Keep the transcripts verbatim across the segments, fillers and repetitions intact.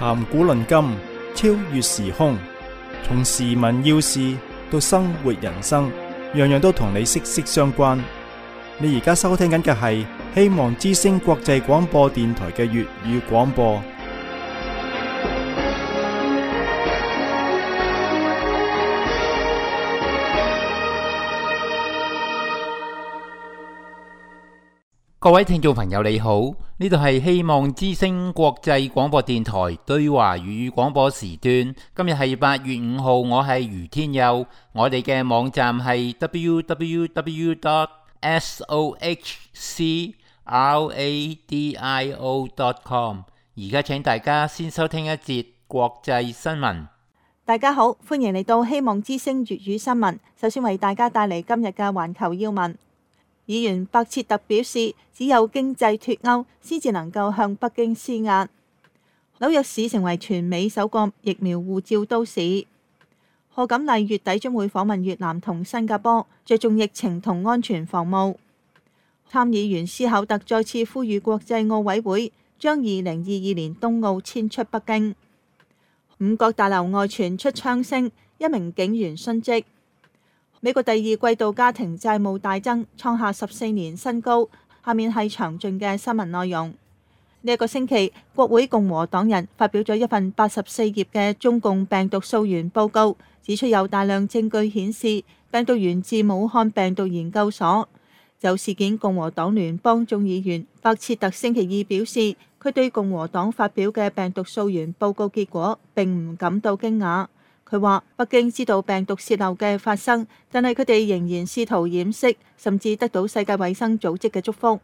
談古論今，超越時空，從時聞要事到生活人生，樣樣都同你息息相關。你而家收聽緊嘅係希望之聲國際廣播電台嘅粵語廣播。各位聽眾朋友你好，呢度係希望之聲國際廣播電台對華粵語廣播時段。今日係八月五號，我係余天佑。我哋嘅網站係 double-u double-u double-u dot sohcradio dot com。而家請大家先收聽一節國際新聞。大家好，歡迎嚟到希望之聲粵語新聞。首先為大家帶嚟今日嘅環球要聞。議員白切特表示，只有經濟脫鈎先至能夠向北京施壓。紐約市成為全美首個疫苗護照都市。賀錦麗月底將會訪問越南同新加坡，着重疫情同安全防務。參議員斯考特再次呼籲國際奧委會將二零二二年冬奧遷出北京。五角大樓外傳出槍聲，一名警員殉職。美國第二季度家庭債務大增，創下十四年新高。下面係詳盡嘅新聞內容。呢一個星期，國會共和黨人發表咗一份八十四頁嘅中共病毒溯源報告，指出有大量證據顯示病毒源自武漢病毒研究所。就事件，共和黨聯邦眾議員白切特星期二表示，佢對共和黨發表嘅病毒溯源報告結果並唔感到驚訝。佢話北京知道病毒洩漏嘅發生，但係佢哋仍然試圖掩飾，甚至得到世界衛生組織嘅祝福。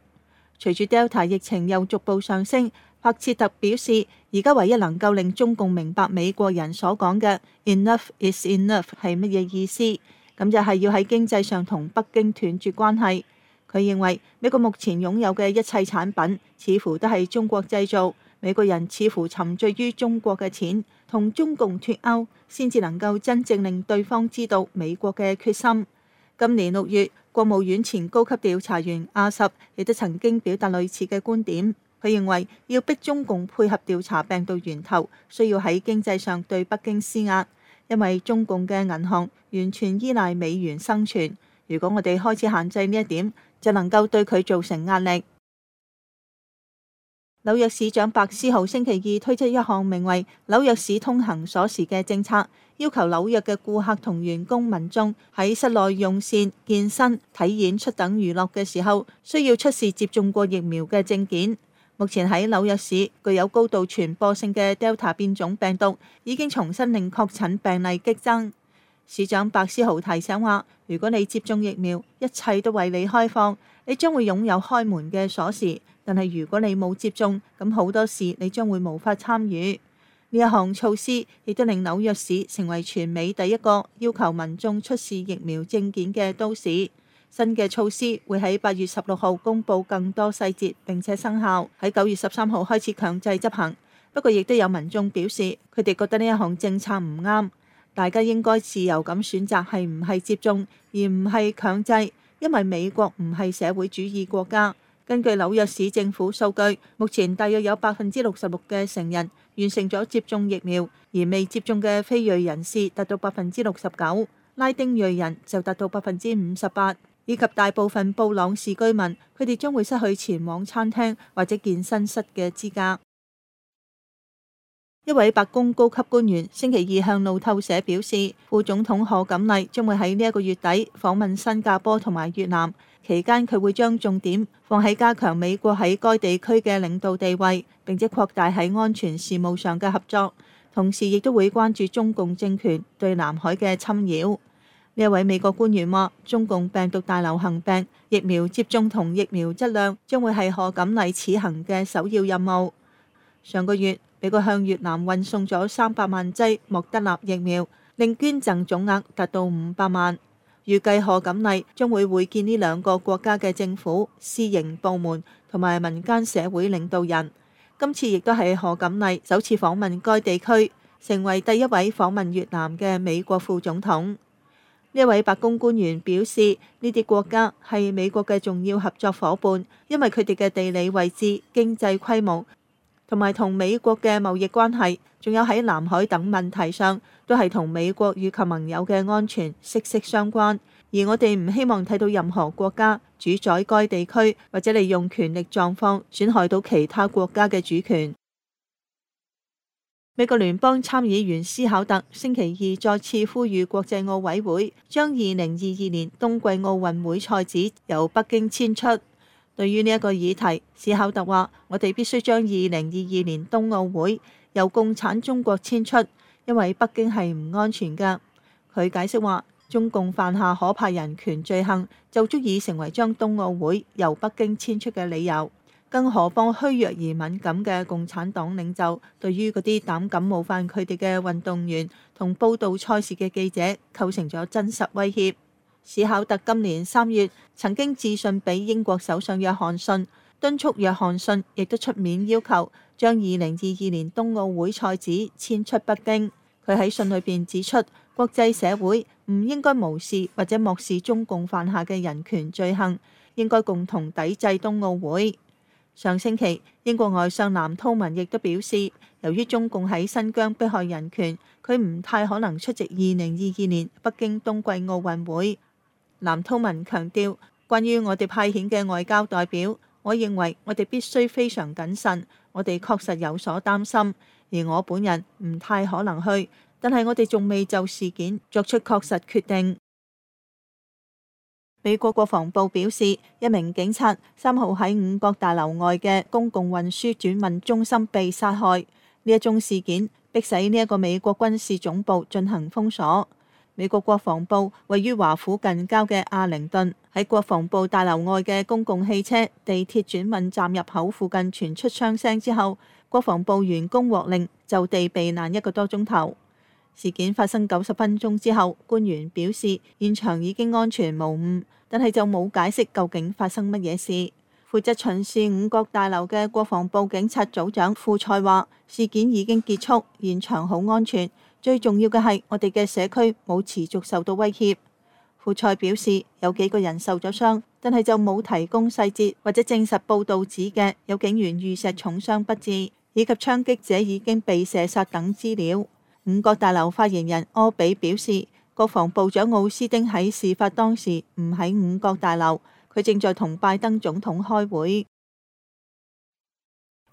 隨住 Delta 疫情又逐步上升，白切特表示，而家唯一能夠令中共明白美國人所講嘅 enough is enough 係乜嘢意思，咁就係要喺經濟上同北京斷絕關係。佢認為美國目前擁有嘅一切產品似乎都係中國製造，美國人似乎沉醉於中國嘅錢，同中共脫鈎先至能夠真正令對方知道美國嘅決心。今年六月，國務院前高級調查員阿什亦都曾經表達類似嘅觀點。佢認為要逼中共配合調查病毒源頭，需要喺經濟上對北京施壓，因為中共嘅銀行完全依賴美元生存。如果我哋開始限制呢一點，就能夠對佢造成壓力。紐約市長白思豪星期二推出一項名為紐約市通行鎖匙嘅政策，要求紐約嘅顧客同員工民眾喺室內用膳、健身、睇演出等娛樂嘅時候，需要出示接種過疫苗嘅證件。目前喺紐約市，具有高度傳播性嘅 Delta 變種病毒已經重新令確診病例激增。市長白思豪提醒話，如果你接種疫苗，一切都為你開放，你將會擁有開門嘅鎖匙。但係如果你冇接種，咁好多事你將會無法參與。呢一項措施亦都令紐約市成為全美第一個要求民眾出示疫苗證件嘅都市。新嘅措施會喺八月十六號公佈更多細節，並且生效，喺九月十三號開始強制執行。不過亦都有民眾表示，佢哋覺得呢一項政策唔啱。大家應該自由咁選擇係唔係接種，而唔係強制，因為美國唔係社會主義國家。根據紐約市政府數據，目前大約有百分之六十六嘅成人完成咗接種疫苗，而未接種嘅非裔人士達到百分之六十九，拉丁裔人就達到百分之五十八，以及大部分布朗士居民，佢哋將會失去前往餐廳或者健身室嘅資格。一位白宮高級官員星期二向路透社表示，副總統賀錦麗將會喺呢一個月底訪問新加坡同埋越南。期間佢會將重點放喺加強美國喺該地區嘅領導地位，並且擴大喺安全事務上嘅合作，同時亦都會關注中共政權對南海嘅侵擾。呢一位美國官員話，中共病毒大流行病疫苗接種同疫苗質量將會係賀錦麗此行嘅首要任務。上個月，美國向越南運送咗三百萬劑莫德納疫苗，令捐贈總額達到五百萬。預計賀錦麗將會會見呢兩個國家嘅政府、私營部門同埋民間社會領導人。今次亦都係賀錦麗首次訪問該地區，成為第一位訪問越南嘅美國副總統。呢一位白宮官員表示，呢啲國家係美國嘅重要合作夥伴，因為佢哋嘅地理位置、經濟規模同埋同美國嘅貿易關係，仲有喺南海等問題上，都係同美國以及盟友嘅安全息息相關。而我哋唔希望睇到任何國家主宰該地區，或者利用權力狀況損害到其他國家嘅主權。美國聯邦參議員斯考特星期二再次呼籲國際奧委會將二零二二年冬季奧運會賽事由北京遷出。對於呢一個議題，斯考特話：我哋必須將二零二二年冬奧會由共產中國遷出，因為北京係唔安全㗎。佢解釋話：中共犯下可怕人權罪行，就足以成為將冬奧會由北京遷出嘅理由。更何況虛弱而敏感嘅共產黨領袖，對於嗰啲膽敢冒犯佢哋嘅運動員同報導賽事嘅記者，構成咗真實威脅。史考特今年三月曾經致信俾英國首相約翰遜，敦促約翰遜亦都出面要求將二零二二年冬奧會賽事遷出北京。佢喺信裏邊指出，國際社會唔應該無視或者漠視中共犯下嘅人權罪行，應該共同抵制冬奧會。上星期，英國外相藍韜文亦都表示，由於中共喺新疆迫害人權，佢唔太可能出席二零二二年北京冬季奧運會。藍韜文強調，關於我哋派遣嘅外交代表，我認為我哋必須非常謹慎，我哋確實有所擔心，而我本人唔太可能去，但係我哋仲未就事件作出確實決定。美國國防部表示，一名警察三號喺五角大樓外嘅公共運輸轉運中心被殺害。呢一宗事件迫使呢一個美國軍事總部進行封鎖。美國國防部位於華府近郊嘅阿靈頓，喺國防部大樓外嘅公共汽車、地鐵轉運站入口附近傳出槍聲之後，國防部員工獲令就地避難一個多鐘頭。事件發生九十分鐘之後，官員表示現場已經安全無誤，但係就冇解釋究竟發生乜嘢事。負責巡視五角大樓嘅國防部警察組長庫塞話：事件已經結束，現場好安全，最重要嘅係我哋嘅社區冇持續受到威脅。庫塞表示有幾個人受咗傷，但係就冇提供細節或者證實報導指嘅有警員遇襲重傷不治，以及槍擊者已經被射殺等資料。五角大樓發言人柯比表示，國防部長奧斯丁喺事發當時唔喺五角大樓，佢正在同拜登總統開會。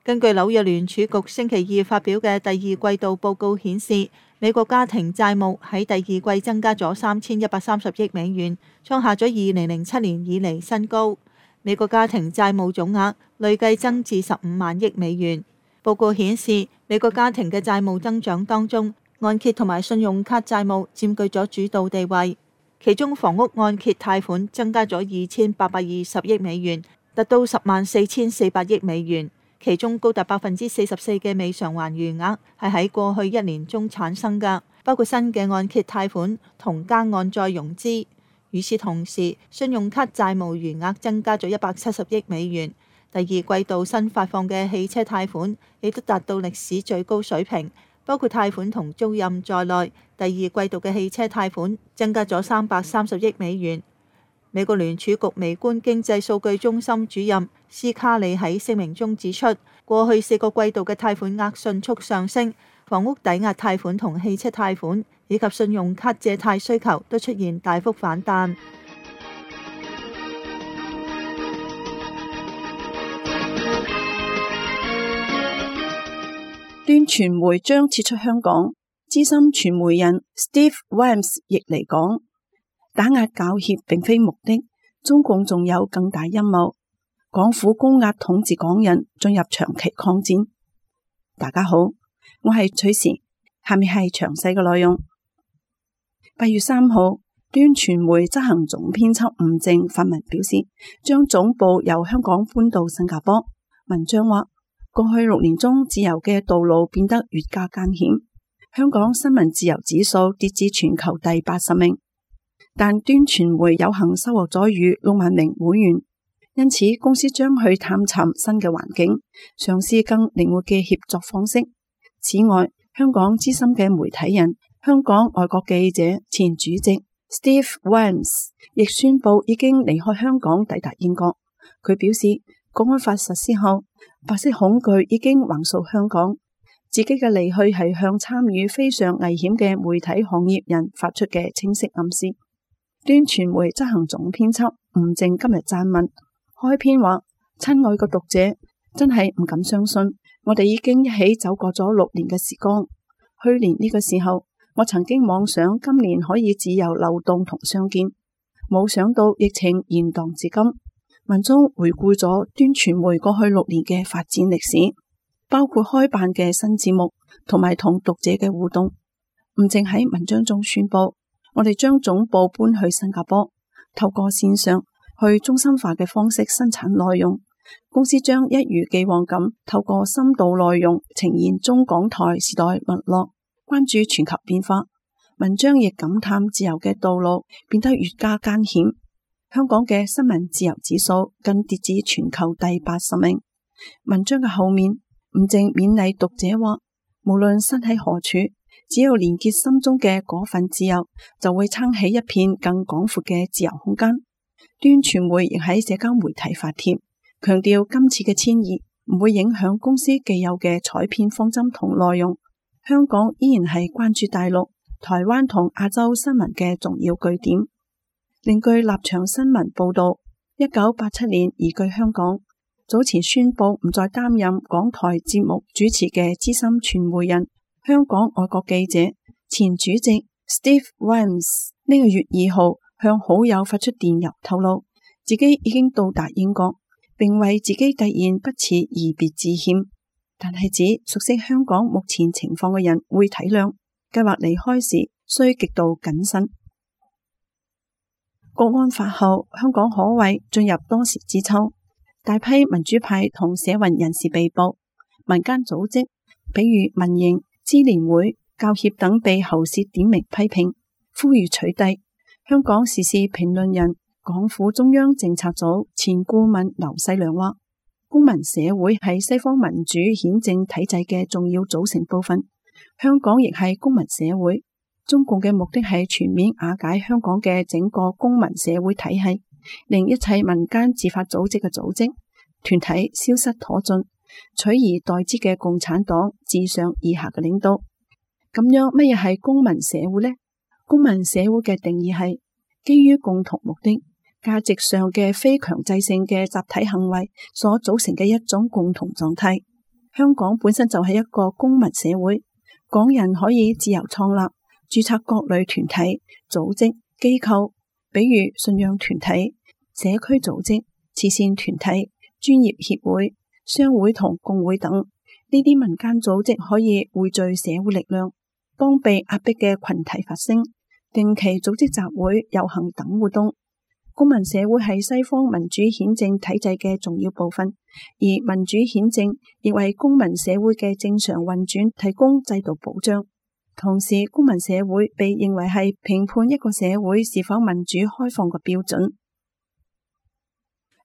根據紐約聯儲局星期二發表嘅第二季度報告顯示，美國家庭債務喺第二季增加咗三千一百三十億美元，創下咗二零零七年以嚟新高。美國家庭債務總額累計增至十五萬億美元。報告顯示，美國家庭嘅債務增長當中，按揭同埋信用卡債務佔據咗主導地位，其中房屋按揭貸款增加咗二千八百二十億美元，達到十萬四千四百億美元，其中高達百分之四十四嘅未償還餘額係喺過去一年中產生㗎，包括新嘅按揭貸款同加按再融資。與此同時，信用卡債務餘額增加咗一百七十億美元。第二季度新發放嘅汽車貸款亦都達到歷史最高水平。包括貸款同租賃在內，第二季度嘅汽車貸款增加咗三百三十億美元。美國聯儲局微觀經濟數據中心主任斯卡利喺聲明中指出，過去四個季度嘅貸款額迅速上升，房屋抵押貸款同汽車貸款以及信用卡借貸需求都出現大幅反彈。端傳媒將撤出香港，資深傳媒人 Steve Vines 亦嚟講，打壓教協並非目的，中共仲有更大陰謀，港府高壓統治港人進入長期抗戰。大家好，我係崔時，下面係詳細嘅內容。八月三號，端傳媒執行總編輯吳正發文表示，將總部由香港搬到新加坡。文章話，過去六年中，自由嘅道路變得越加艱險，香港新聞自由指數跌至全球第八十名。但端傳媒有幸收穫咗逾六萬名會員，因此公司將去探尋新嘅環境，嘗試更靈活嘅協作方式。此外，香港資深嘅媒體人、香港外國記者前主席 Steve Vines 亦宣布已經離開香港，抵達英國。佢表示，國安法實施後，白色恐懼已經橫掃香港，自己嘅離去係向參與非常危險嘅媒體行業人發出嘅清晰暗示。端傳媒執行總編輯吳靜今日撰文開篇話：親愛嘅讀者，真係唔敢相信，我哋已經一起走過咗六年嘅時光。去年呢個時候，我曾經妄想今年可以自由流動同相見，冇想到疫情延宕至今。文中回顧咗端傳媒過去六年嘅發展歷史，包括開辦嘅新節目同埋同讀者嘅互動。吳靜喺文章中宣布，我哋將總部搬去新加坡，透過線上去中心化嘅方式生產內容。公司將一如既往咁透過深度內容呈現中港台時代脈絡，關注全球變化。文章亦感嘆自由嘅道路變得越加艱險。香港嘅新聞自由指數更跌至全球第八十名。文章嘅後面，吳靜勉勵讀者話：無論身喺何處，只要連結心中嘅嗰份自由，就會撐起一片更廣闊嘅自由空間。端傳媒亦喺社交媒體發帖，強調今次嘅遷移唔會影響公司既有嘅採編方針同內容。香港依然係關注大陸、台灣同亞洲新聞嘅重要據點。另據立場新聞報道，一九八七年移居香港，早前宣布唔再擔任港台節目主持嘅資深傳媒人、香港外國記者、前主席 Steve Vines 呢個月二號向好友發出電郵透露，自己已經到達英國，並為自己突然不辭而別致歉，但係指熟悉香港目前情況嘅人會體諒，計劃離開時需極度謹慎。國安法後，香港可謂進入多事之秋，大批民主派同社運人士被捕，民間組織比如民營、支聯會、教協等被喉舌點名批評，呼籲取締。香港時事評論人、港府中央政策組前顧問劉細良話：公民社會係西方民主憲政體制嘅重要組成部分，香港亦係公民社會。中共嘅目的係全面瓦解香港嘅整個公民社會體系，令一切民間自發組織嘅組織團體消失殆盡，取而代之嘅共產黨自上而下嘅領導。咁樣乜嘢係公民社會呢？公民社會嘅定義係基於共同目的、價值上嘅非強制性嘅集體行為所組成嘅一種共同狀態。香港本身就係一個公民社會，港人可以自由創立、註冊各類團體、組織、機構，比如信仰團體、社區組織、慈善團體、專業協會、商會同工會等。呢啲民間組織可以匯聚社會力量，幫被壓迫嘅群體發聲，定期組織集會、遊行等活動。公民社會係西方民主憲政體制嘅重要部分，而民主憲政亦為公民社會嘅正常運轉提供制度保障。同時，公民社會被認為係評判一個社會是否民主開放嘅標準。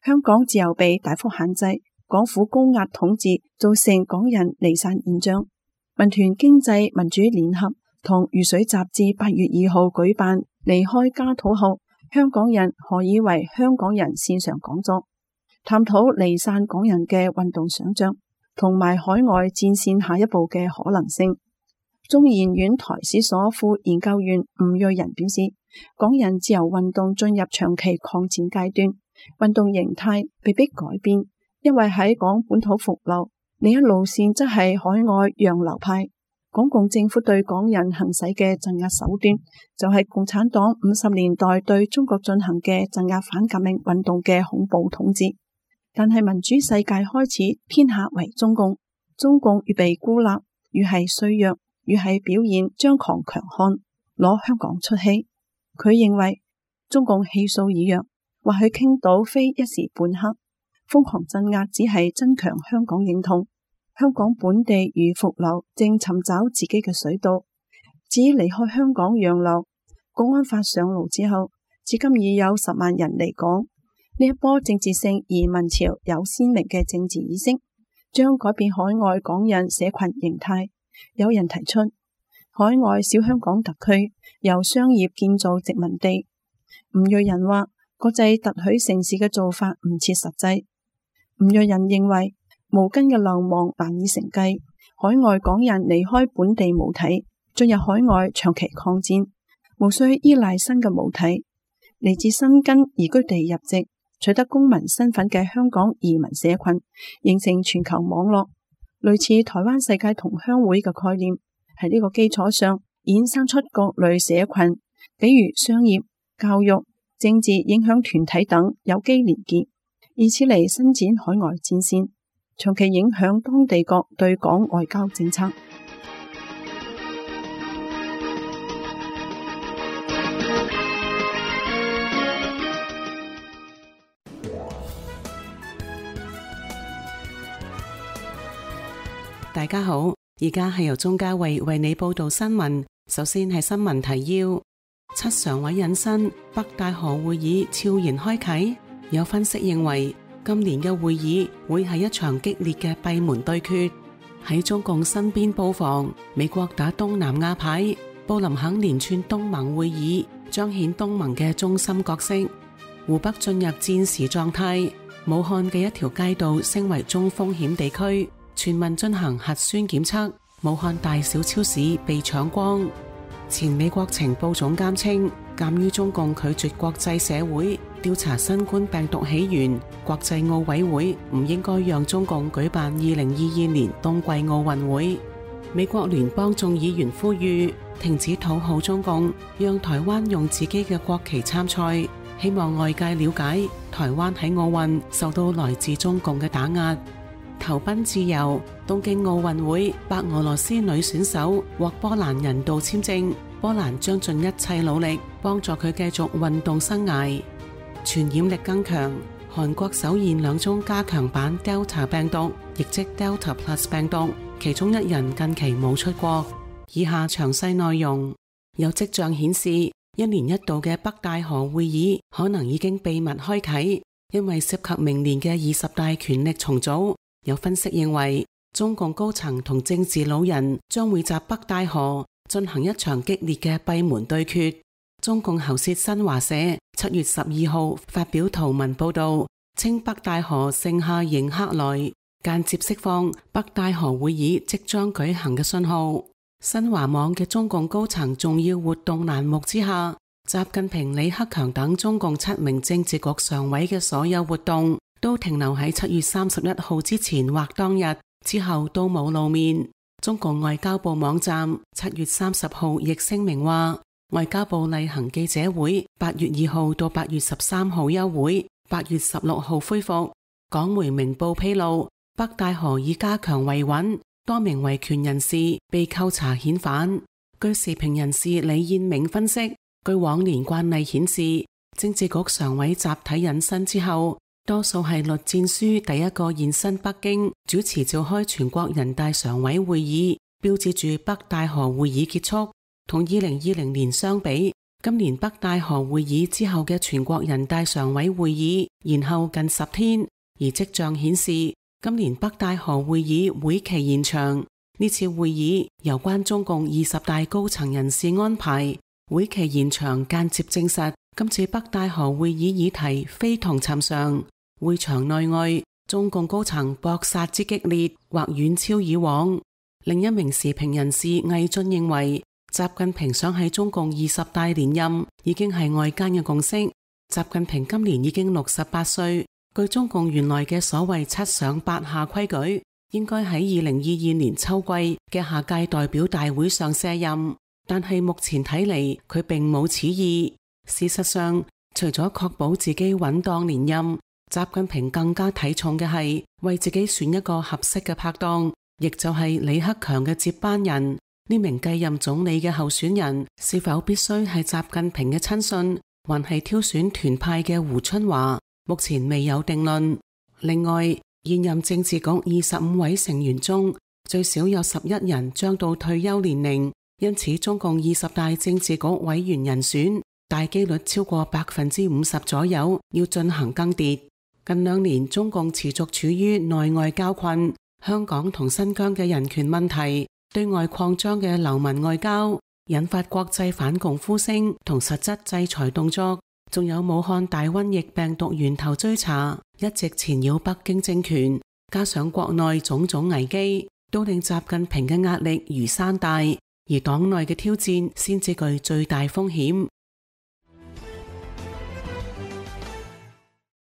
香港自由被大幅限制，港府高壓統治造成港人離散現象。民團經濟民主聯合同《如水》雜誌八月二號舉辦離開家土後，香港人何以為香港人線上講座，探討離散港人嘅運動想象，同埋海外戰線下一步嘅可能性。中研院台史所副研究員吳瑞仁表示，港人自由運動進入長期抗戰階段，運動形態被迫改變，因為喺港本土復流，另一路線則係海外洋流派。港共政府對港人行使嘅鎮壓手段，就係共產黨五十年代對中國進行嘅鎮壓反革命運動嘅恐怖統治。但係民主世界開始偏下為中共，中共越被孤立，越係衰弱，越係表現張狂強悍，攞香港出氣。佢認為中共氣數已弱，或許傾倒非一時半刻，瘋狂鎮壓只係增強香港認同。香港本地如復流，正尋找自己嘅水道。至於離開香港洋流，國安法上路之後，至今已有十萬人離港。呢一波政治性移民潮有鮮明嘅政治意識，將改變海外港人社群形態。有人提出，海外小香港特區由商業建造殖民地。吳瑞仁話，國際特許城市嘅做法唔切實際。吳瑞仁認為，無根嘅流亡難以承繼，海外港人離開本地母體，進入海外長期抗戰，無需依賴新嘅母體。嚟自新根移居地入籍，取得公民身份嘅香港移民社群，形成全球網絡，類似台灣世界同鄉會嘅概念。喺呢個基礎上，衍生出各類社群，比如商業、教育、政治影響團體等有機連結，以此嚟伸展海外戰線，長期影響當地國對港外交政策。大家好，而家係由鍾嘉慧為你報道新聞。首先係新聞提要：七常委引申，北戴河會議悄然開啟。有分析認為，今年嘅會議會係一場激烈嘅閉門對決。喺中共身邊布防，美國打東南亞牌，布林肯連串東盟會議，彰顯東盟嘅中心角色。湖北進入戰時狀態，武漢嘅一條街道升為中風險地區。全民進行核酸檢測，武漢大小超市被搶光。前美國情報總監稱，鑒於中共拒絕國際社會調查新冠病毒起源，國際奧委會唔應該讓中共舉辦二零二二年冬季奧運會。美國聯邦眾議員呼籲停止討好中共，讓台灣用自己嘅國旗參賽，希望外界了解台灣喺奧運受到來自中共嘅打壓。投奔自由，東京奧運會白俄羅斯女選手獲波蘭人道簽證，波蘭將盡一切努力幫助佢繼續運動生涯。傳染力更強，韓國首現兩宗加強版 Delta 病毒，亦即 Delta Plus 病毒，其中一人近期冇出國。以下詳細內容。有跡象顯示，一年一度嘅北戴河會議可能已經秘密開啟，因為涉及明年嘅二十大權力重組。有分析認為，中共高層同政治老人將會集北戴河進行一場激烈嘅閉門對決。中共喉舌新華社七月十二號發表圖文報道，稱北戴河盛夏迎客來，間接釋放北戴河會議即將舉行嘅信號。新華網嘅中共高層重要活動欄目之下，習近平、李克強等中共七名政治局常委嘅所有活動都停留喺七月三十一號之前或當日，之後都冇露面。中共外交部網站七月三十號亦聲明話，外交部例行記者會八月二號到八月十三號休會，八月十六號恢復。港媒明報披露，北戴河已加強維穩，多名維權人士被扣查遣返。據時評人士李燕明分析，據往年慣例顯示，政治局常委集體引申之後，多數係栗戰書第一個現身北京主持召開全國人大常委會議，標誌住北戴河會議結束。同二零二零年相比，今年北戴河會議之後嘅全國人大常委會議延後近十天，而跡象顯示今年北戴河會議會期延長。呢次會議由關中共二十大高層人士安排，會期延長間接證實今次北戴河會議議題非同尋常。會場內外，中共高層搏殺之激烈，或遠超以往。另一名時評人士魏俊認為，習近平想喺中共二十大連任，已經係外間嘅共識。習近平今年已經六十八歲，據中共原來嘅所謂七上八下規矩，應該喺二零二二年秋季嘅下屆代表大會上卸任。但係目前睇嚟，佢並冇此意。事實上，除咗確保自己穩當連任，習近平更加睇重嘅係為自己選一個合適嘅拍檔，亦就係李克強嘅接班人。呢名繼任總理嘅候選人是否必須係習近平嘅親信，還係挑選團派嘅胡春華，目前未有定論。另外，現任政治局二十五位成員中，最少有十一人將到退休年齡，因此中共二十大政治局委員人選大機率超過百分之五十左右要進行更迭。近兩年，中共持續處於內外交困，香港同新疆嘅人權問題，對外擴張嘅流氓外交，引發國際反共呼聲同實質制裁動作，仲有武漢大瘟疫病毒源頭追查，一直纏繞北京政權。加上國內種種危機，都令習近平嘅壓力如山大，而黨內嘅挑戰先至具最大風險。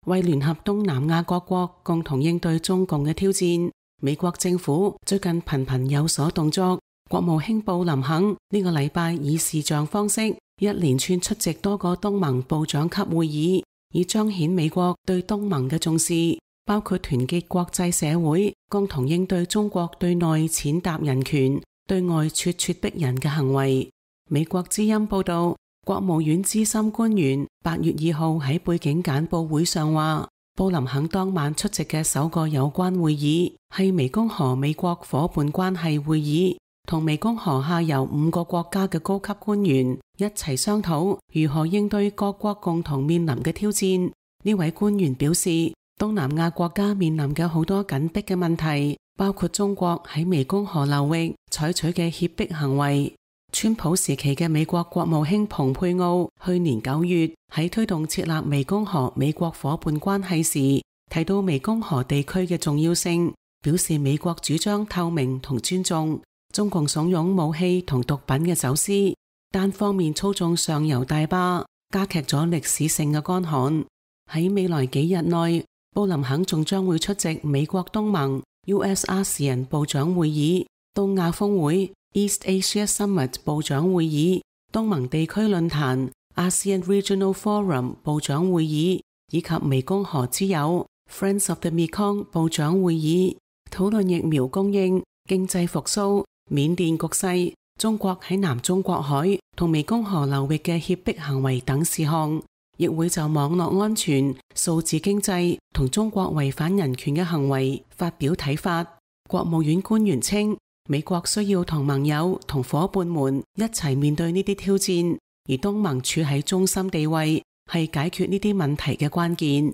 為聯合東南亞各國共同應對中共嘅挑戰，美國政府最近頻頻有所動作。國務卿布林肯呢個禮拜以視像方式一連串出席多個東盟部長級會議，以彰顯美國對東盟嘅重視，包括團結國際社會，共同應對中國對內踐踏人權、對外咄咄逼人嘅行為。美國之音報道，國務院資深官員八月二號喺背景簡報會上話，布林肯當晚出席嘅首個有關會議係湄公河美國伙伴關係會議，同湄公河下游五個國家嘅高級官員一齊商討如何應對各國共同面臨嘅挑戰。呢位官員表示，東南亞國家面臨嘅好多緊迫嘅問題，包括中國喺湄公河流域採取嘅脅迫行為。川普時期嘅美國國務卿蓬佩奧去年九月喺推動設立湄公河美國伙伴關係時，提到湄公河地區嘅重要性，表示美國主張透明同尊重，中共慫恿武器同毒品嘅走私，單方面操縱上游大壩，加劇咗歷史性嘅乾旱。喺未來幾日內，布林肯仲將會出席美國東盟 U S A S E A N 部長會議、東亞峰會 East Asia Summit 部長會議、東盟地區論壇 ASEAN Regional Forum 部長會議，以及湄公河之友 Friends of the Mekong 部長會議，討論疫苗供應、經濟復甦、緬甸局勢、中國喺南中國海同湄公河流域嘅脅迫行為等事項，亦會就網絡安全、數字經濟同中國違反人權嘅行為發表睇法。國務院官員稱，美國需要同盟友同夥伴們一齊面對呢啲挑戰，而東盟處喺中心地位，係解決呢啲問題嘅關鍵。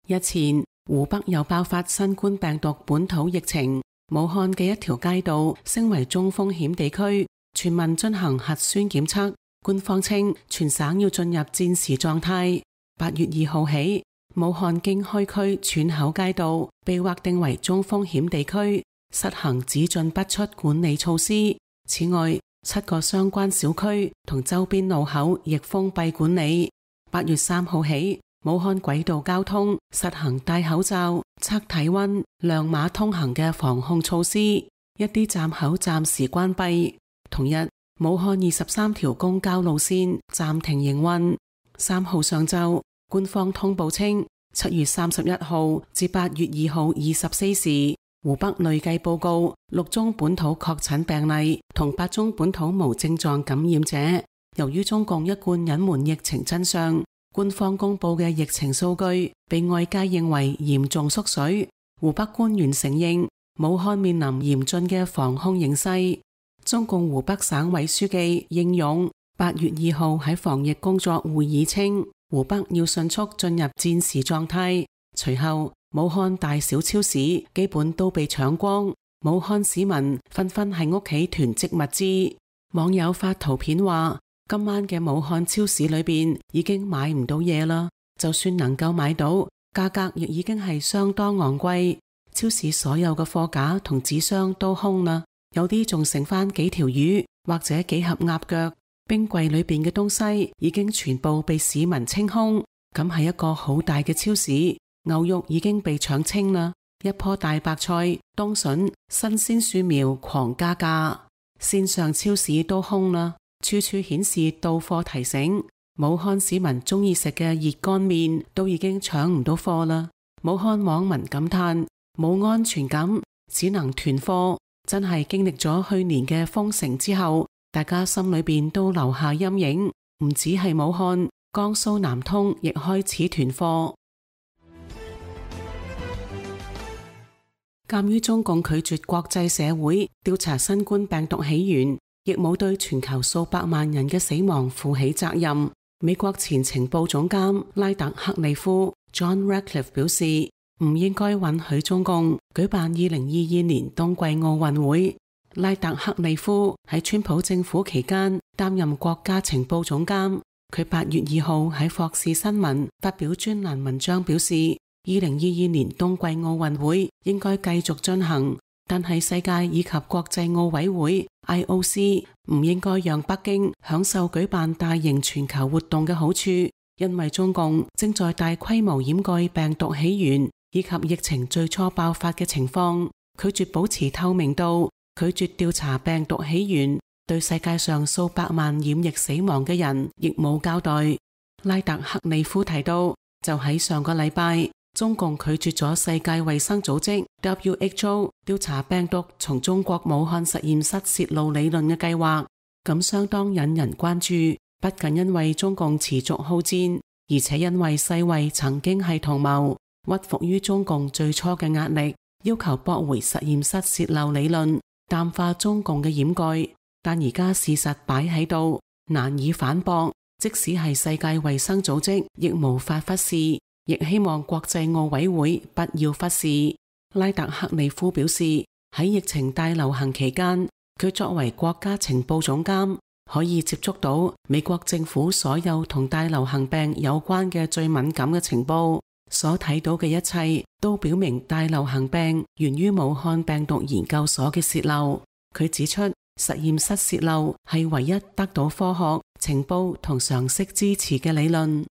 日前，湖北又爆發新冠病毒本土疫情，武漢嘅一條街道升為中風險地區，全民進行核酸檢測。官方稱全省要進入戰時狀態。八月二號起，武漢經開區竄口街道被劃定為中風險地區，實行只進不出管理措施。此外，七個相關小區同周邊路口亦封閉管理。八月三號起，武漢軌道交通實行戴口罩、測體溫、亮碼通行嘅防控措施，一啲站口暫時關閉。同日，武漢二十三條公交路線暫停營運。三號上晝，官方通報稱，七月三十一號至八月二號二十四時，湖北累計報告六宗本土確診病例同八宗本土無症狀感染者。由於中共一貫隱瞞疫情真相，官方公布嘅疫情數據被外界認為嚴重縮水。湖北官員承認，武漢面臨嚴峻嘅防控形勢。中共湖北省委書記應勇八月二號喺防疫工作會議稱，湖北要迅速進入戰時狀態。隨後，武漢大小超市基本都被搶光，武漢市民紛紛喺屋企囤積物資。網友發圖片話，今晚嘅武漢超市裏邊已經買唔到嘢啦，就算能夠買到，價格亦已經係相當昂貴。超市所有嘅貨架同紙箱都空啦。有啲仲剩翻幾條魚或者幾盒鴨腳，冰櫃裏邊嘅東西已經全部被市民清空。咁係一個好大嘅超市，牛肉已經被搶清啦，一棵大白菜、冬筍、新鮮樹苗狂加價，線上超市都空啦，處處顯示到貨提醒。武漢市民中意食嘅熱乾麵都已經搶唔到貨啦。武漢網民感嘆冇安全感，只能囤貨。真係經歷咗去年嘅封城之後，大家心裏邊都留下陰影。唔止係武漢，江蘇南通亦開始囤貨。鑒於中共拒絕國際社會調查新冠病毒起源，亦冇對全球數百萬人嘅死亡負起責任，美國前情報總監拉特克利夫 John Ratcliffe 表示，唔應該允許中共舉辦二零二二年冬季奧運會。拉特克利夫喺川普政府期間擔任國家情報總監，佢八月二號喺霍士新聞發表專欄文章表示，二零二二年冬季奧運會應該繼續進行，但係世界以及國際奧委會 I O C 唔應該讓北京享受舉辦大型全球活動嘅好處，因為中共正在大規模掩蓋病毒起源以及疫情最初爆發嘅情況，拒絕保持透明度，拒絕調查病毒起源，對世界上數百萬染疫死亡嘅人亦冇交代。拉特克利夫提到，就喺上個禮拜，中共拒絕咗世界衛生組織 W H O 調查病毒從中國武漢實驗室泄露理論嘅計劃，咁相當引人關注。不僅因為中共持續好戰，而且因為世衛曾經係同謀，屈服於中共最初嘅壓力，要求駁回實驗室泄漏理論，淡化中共嘅掩蓋。但而家事實擺喺度，難以反駁，即使係世界衛生組織亦無法忽視，亦希望國際奧委會不要忽視。拉特克利夫表示，喺疫情大流行期間，佢作為國家情報總監，可以接觸到美國政府所有同大流行病有關嘅最敏感嘅情報，所睇到嘅一切都表明大流行病源於武漢病毒研究所嘅洩漏。佢指出，實驗室洩漏係唯一得到科學、情報同常識支持嘅理論。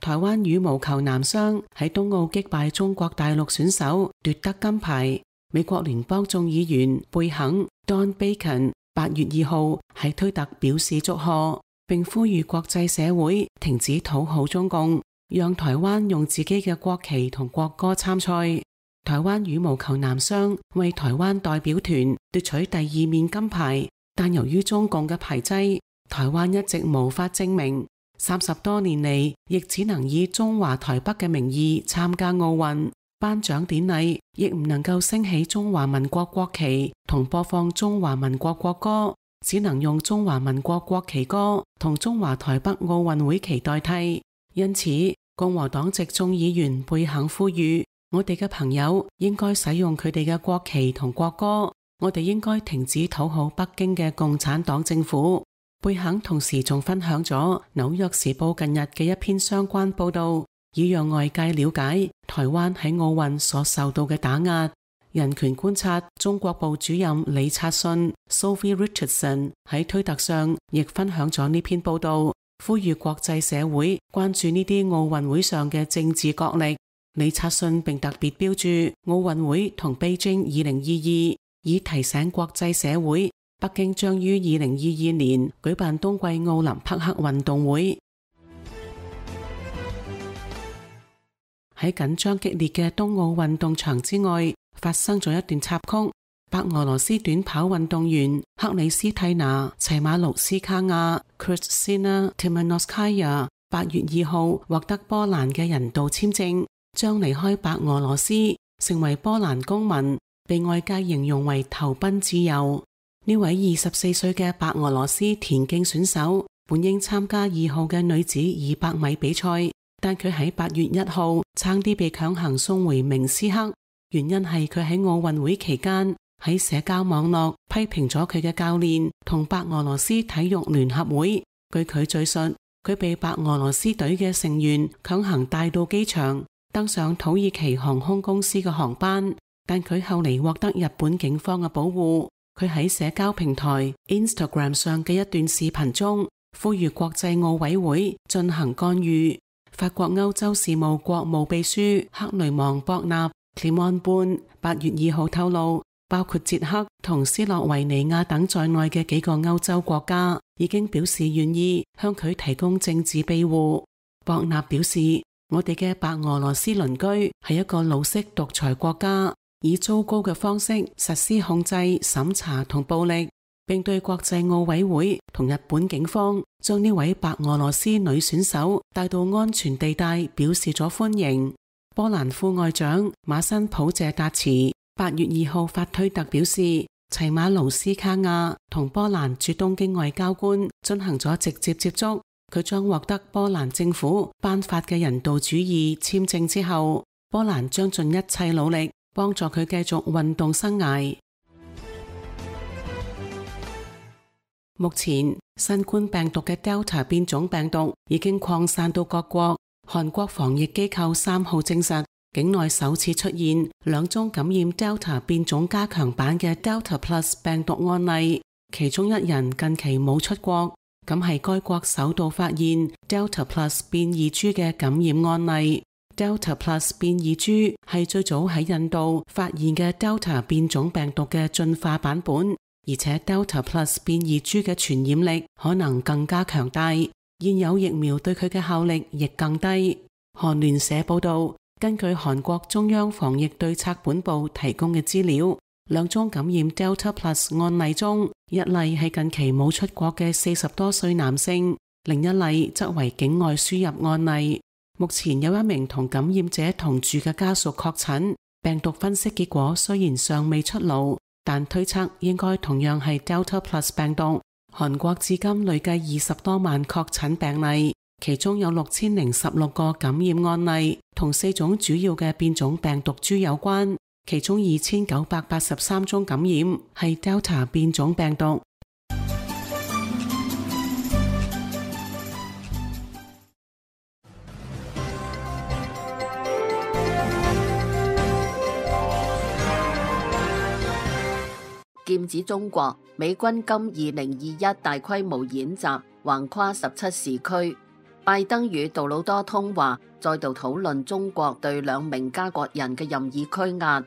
台灣羽毛球男雙喺東奧擊敗中國大陸選手奪得金牌。美國聯邦眾議員貝肯 Don Bacon 八月二號喺推特表示祝賀，並呼籲國際社會停止討好中共，讓台灣用自己嘅國旗同國歌參賽。台灣羽毛球男雙為台灣代表團奪取第二面金牌，但由於中共嘅排擠，台灣一直無法證明。三十多年嚟，亦只能以中華台北嘅名義參加奧運，頒獎典禮亦唔能夠升起中華民國國旗同播放中華民國國歌，只能用中華民國國旗歌同中華台北奧運會旗代替。因此，共和黨籍眾議員貝肯呼籲，我哋嘅朋友應該使用佢哋嘅國旗同國歌，我哋應該停止討好北京嘅共產黨政府。貝肯同時仲分享咗紐約時報近日嘅一篇相關報道，以讓外界了解台灣喺奧運所受到嘅打壓。人權觀察中國部主任李察信 Sophie Richardson 喺推特上亦分享咗呢篇報道，呼籲國際社會關注呢啲奧運會上嘅政治角力。李察信並特別標注奧運會同北京二零二二，以提醒國際社會北京將於二零二二年舉辦冬季奧林匹克運動會。喺緊張激烈嘅冬奧運動場之外，發生咗一段插曲。白俄羅斯短跑運動員克里斯蒂娜齊馬盧斯卡亞 Kristina Timanovskaya 八月二號獲得波蘭嘅人道簽證，將離開白俄羅斯，成為波蘭公民，被外界形容為投奔自由。呢位二十四歲嘅白俄羅斯田徑選手本應參加二號嘅女子二百米比賽，但佢喺八月一號差啲被強行送回明斯克，原因係佢喺奧運會期間喺社交網絡批評咗佢嘅教練同白俄羅斯體育聯合會。據佢敘述，佢被白俄羅斯隊嘅成員強行帶到機場，登上土耳其航空公司嘅航班，但佢後嚟獲得日本警方嘅保護。佢喺社交平台 Instagram 上嘅一段視頻中，呼籲國際奧委會進行干預。法國歐洲事務國務秘書克雷芒博納 Clément Beaune 八月二號透露，包括捷克同斯洛維尼亞等在內嘅幾個歐洲國家已經表示願意向佢提供政治庇護。博納表示，我哋嘅白俄羅斯鄰居係一個老式獨裁國家，以糟糕嘅方式實施控制、審查同暴力，並對國際奧委會同日本警方將呢位白俄羅斯女選手帶到安全地帶表示咗歡迎。波蘭副外長馬辛普謝達茨八月二號發推特表示，齊馬盧斯卡亞同波蘭駐東京外交官進行咗直接接觸，佢將獲得波蘭政府頒發嘅人道主義簽證之後，波蘭將盡一切努力幫助佢繼續運動生涯。目前新冠病毒嘅 Delta 變種病毒已經擴散到各國。韓國防疫機構三號證實，境內首次出現兩宗感染 Delta 變種加強版嘅 Delta Plus 病毒案例，其中一人近期冇出國，咁係該國首度發現 Delta Plus 變異株嘅感染案例。Delta Plus 變異株係最早喺印度發現嘅 Delta 變種病毒嘅進化版本，而且 Delta Plus 變異株嘅傳染力可能更加強大，現有疫苗對佢嘅效力亦更低。韓聯社報道，根據韓國中央防疫對策本部提供嘅資料，兩宗感染 Delta Plus 案例中，一例係近期冇出國嘅四十多歲男性，另一例則為境外輸入案例。目前有一名同感染者同住嘅家屬確診，病毒分析結果雖然尚未出爐，但推測應該同樣係 Delta Plus 病毒。韓國至今累計二十多萬確診病例，其中有六千零十六個感染案例同四種主要嘅變種病毒株有關，其中二千九百八十三宗感染係 Delta 變種病毒。劍指中國，美軍今二零二一大規模演習橫跨十七時區。拜登與杜魯多通話，再度討論中國對兩名加國人嘅任意拘押。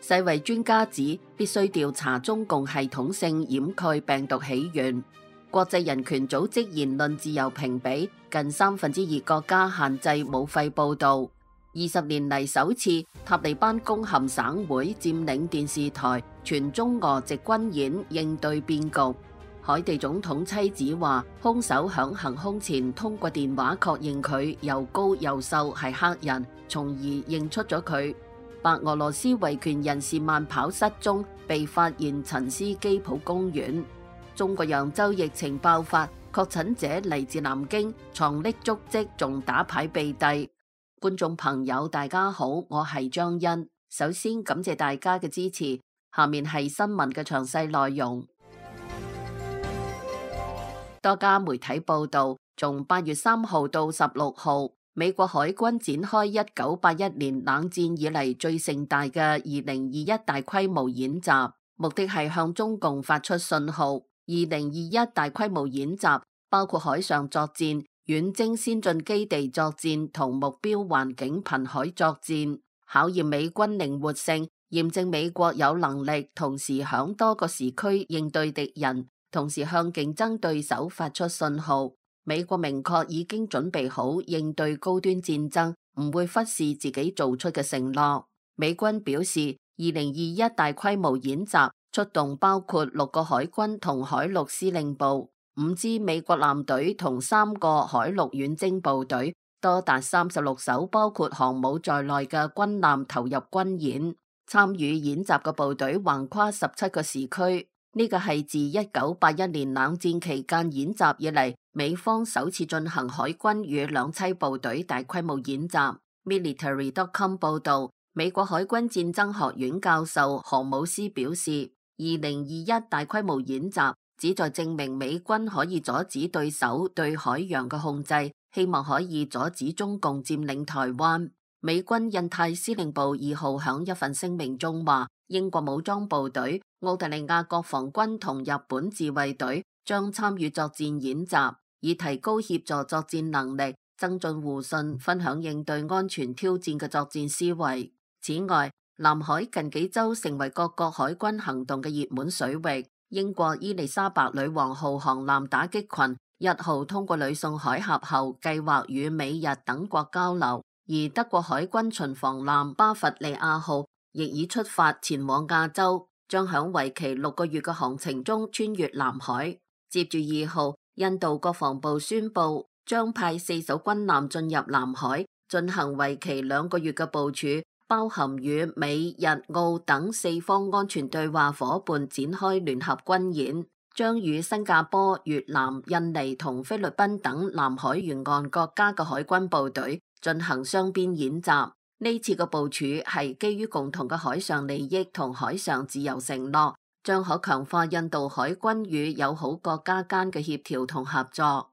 世衛專家指必須調查中共系統性掩蓋病毒起源。國際人權組織言論自由評比，近三分之二國家限制武肺報導。二十年嚟首次，塔利班攻陷省會，佔領電視台，全中俄籍軍演應對變局。海地總統妻子話，兇手響行兇前通過電話確認佢又高又瘦係黑人，從而認出咗佢。白俄羅斯維權人士慢跑失蹤，被發現陳斯基普公園。中國揚州疫情爆發，確診者嚟自南京，藏匿足跡，仲打牌避帝。觀眾朋友大家好，我係張欣。首先感謝大家嘅支持，下面係新聞嘅詳細內容。多家媒體報道，從八月三號到十六號，美國海軍展開一九八一年冷戰以嚟最盛大嘅二零二一大規模演習，目的係向中共發出信號。二零二一大規模演習包括海上作戰、遠征先進基地作戰同目標環境瀕海作戰，考驗美軍靈活性，驗證美國有能力同時響多個時區應對敵人，同時向競爭對手發出信號。美國明確已經準備好應對高端戰爭，唔會忽視自己做出嘅承諾。美軍表示，二零二一大規模演習出動包括六個海軍同海陸司令部、五支美國艦隊同三個海陸遠征部隊，多達三十六艘包括航母在內嘅軍艦投入軍演。參與演習嘅部隊橫跨十七個時區，呢個係自一九八一年冷戰期間演習以嚟，美方首次進行海軍與兩棲部隊大規模演習。Military dot com 報道，美國海軍戰爭學院教授何姆斯表示，二零二一大規模演習旨在證明美軍可以阻止對手對海洋嘅控制，希望可以阻止中共佔領台灣。美軍印太司令部二號響一份聲明中話，英國武裝部隊、澳大利亞國防軍同日本自衛隊將參與作戰演習，以提高協助作戰能力，增進互信，分享應對安全挑戰嘅作戰思維。此外，南海近幾周成為各國海軍行動嘅熱門水域。英國伊麗莎白女王號航艦打擊群一號通過呂宋海峽後，計劃與美日等國交流，而德國海軍巡防艦巴伐利亞號亦已出發前往亞洲，將響為期六個月嘅航程中穿越南海。接住二號，印度國防部宣布將派四艘軍艦進入南海，進行為期兩個月嘅部署，包含與美、日、澳等四方安全對話夥伴展開聯合軍演，將與新加坡、越南、印尼同菲律賓等南海沿岸國家嘅海軍部隊進行雙邊演習。呢次嘅部署係基於共同嘅海上利益同海上自由承諾，將可強化印度海軍與友好國家間嘅協調同合作。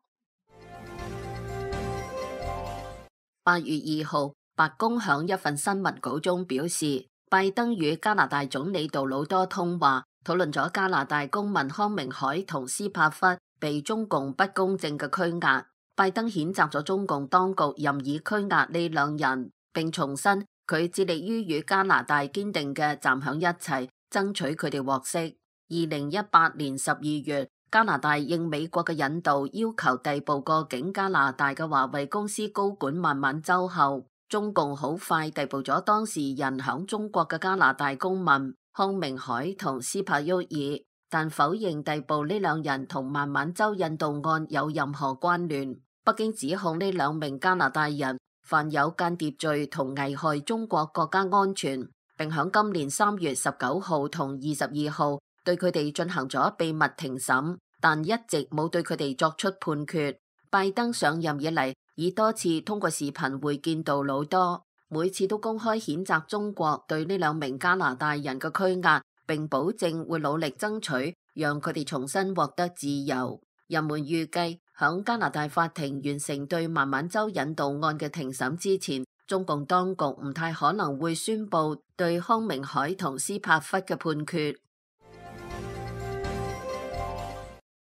八月二號，白宮響一份新聞稿中表示，拜登與加拿大總理杜魯多通話，討論咗加拿大公民康明凱同斯帕弗被中共不公正嘅拘押。拜登譴責咗中共當局任意拘押呢兩人，並重申佢致力於與加拿大堅定嘅站響一齊，爭取佢哋獲釋。二零一八年十二月，加拿大應美國嘅引導，要求逮捕過境加拿大嘅華為公司高管孟晚舟後，中共好快逮捕咗當事人響中國嘅加拿大公民康明凱同斯帕沃爾，但否認逮捕呢兩人同孟晚舟引渡案有任何關聯。北京指控呢兩名加拿大人犯有間諜罪同危害中國國家安全，並響今年三月十九號同二十二號對佢哋進行咗秘密庭審，但一直冇對佢哋作出判決。拜登上任以嚟，已多次通過視頻會見杜魯多，每次都公開譴責中國對呢兩名加拿大人嘅拘押，並保證會努力爭取讓佢哋重新獲得自由。人們預計響加拿大法庭完成對孟晚舟引渡案嘅庭審之前，中共當局唔太可能會宣布對康明凱同斯帕弗嘅判決。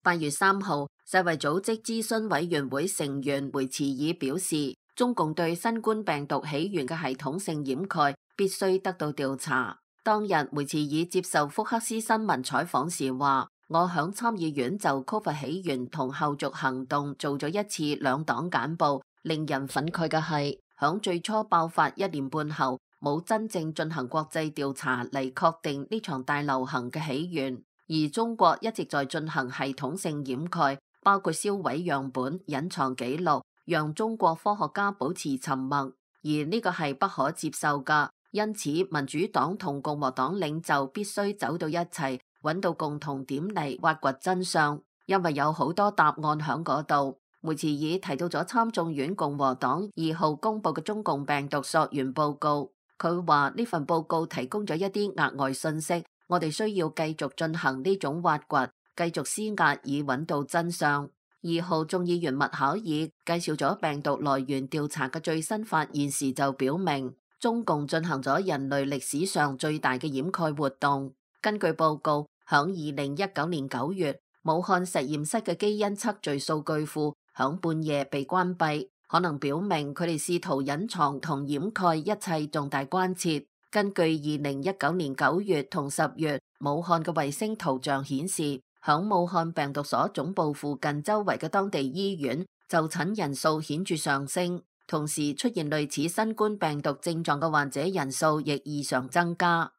八月三號，世衛組織諮詢委員會成員梅茨爾表示，中共對新冠病毒起源嘅系統性掩蓋必須得到調查。當日，梅茨爾接受福克斯新聞採訪時話，我響參議院就 Covid 起源同後續行動做咗一次兩黨簡報，令人憤慨嘅係，響最初爆發一年半後，冇真正進行國際調查嚟確定呢場大流行嘅起源。而中國一直在進行系統性掩蓋，包括銷毀樣本、隱藏記錄，讓中國科學家保持沉默，而呢個係不可接受㗎。因此，民主黨同共和黨領袖必須走到一齊，揾到共同點嚟挖掘真相，因為有好多答案喺嗰度。梅茨爾提到咗參眾院共和黨二號公佈嘅中共病毒溯源報告，佢話呢份報告提供咗一啲額外信息。我哋需要繼續進行呢種挖掘，繼續施壓以揾到真相。二號眾議員麥考爾介紹咗病毒來源調查嘅最新發現時就表明，中共進行咗人類歷史上最大嘅掩蓋活動。根據報告，響二零一九年九月，武漢實驗室嘅基因測序數據庫響半夜被關閉，可能表明佢哋試圖隱藏同掩蓋一切重大關切。根據二零一九年九月同十月武漢嘅衛星圖像顯示，響武漢病毒所總部附近周圍嘅當地醫院就診人數顯著上升，同時出現類似新冠病毒症狀嘅患者人數亦異常增加。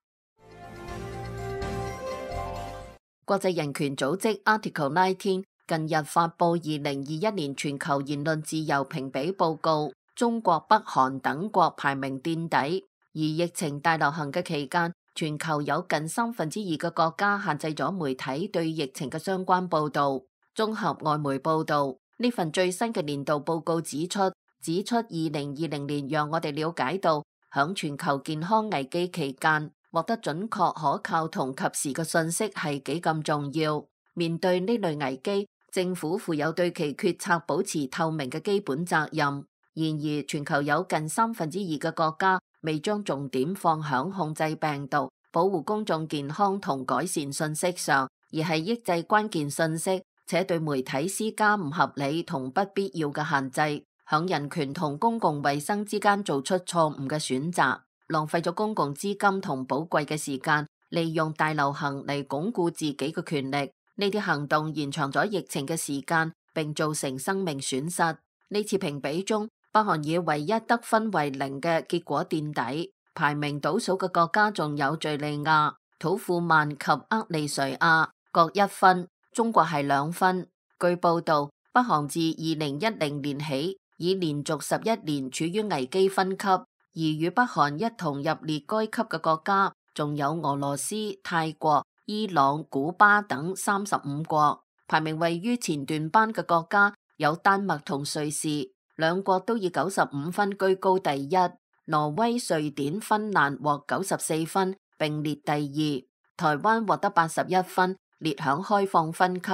國際人權組織 Article 十九近日發布二零二一年全球言論自由評比報告，中國、北韓等國排名墊底。而疫情大流行嘅期間，全球有近三分之二嘅國家限制咗媒體對疫情嘅相關報導。綜合外媒報導，呢份最新嘅年度報告指出，指出二零二零年讓我哋了解到，響全球健康危機期間，獲得準確、可靠同及時嘅信息係幾咁重要。面對呢類危機，政府負有對其決策保持透明嘅基本責任。然而，全球有近三分之二嘅國家未將重點放響控制病毒、保護公眾健康同改善信息上，而係抑制關鍵信息，且對媒體施加唔合理同不必要嘅限制，響人權同公共衛生之間做出錯誤嘅選擇，浪費咗公共資金同寶貴嘅時間，利用大流行嚟鞏固自己嘅權力。呢啲行動延長咗疫情嘅時間，並造成生命損失。呢次評比中，北韓以唯一得分為零嘅結果墊底，排名倒數嘅國家仲有敘利亞、土庫曼及厄利瑞亞各一分，中國係兩分。據報道，北韓自二零一零年起已連續十一年處於危機分級，而與北韓一同入列該級嘅國家仲有俄羅斯、泰國、伊朗、古巴等三十五國。排名位於前段班嘅國家有丹麥同瑞士。兩國都以九十五分居高第一，挪威、瑞典、芬蘭獲九十四分，並列第二。台灣獲得八十一分，列響開放分級。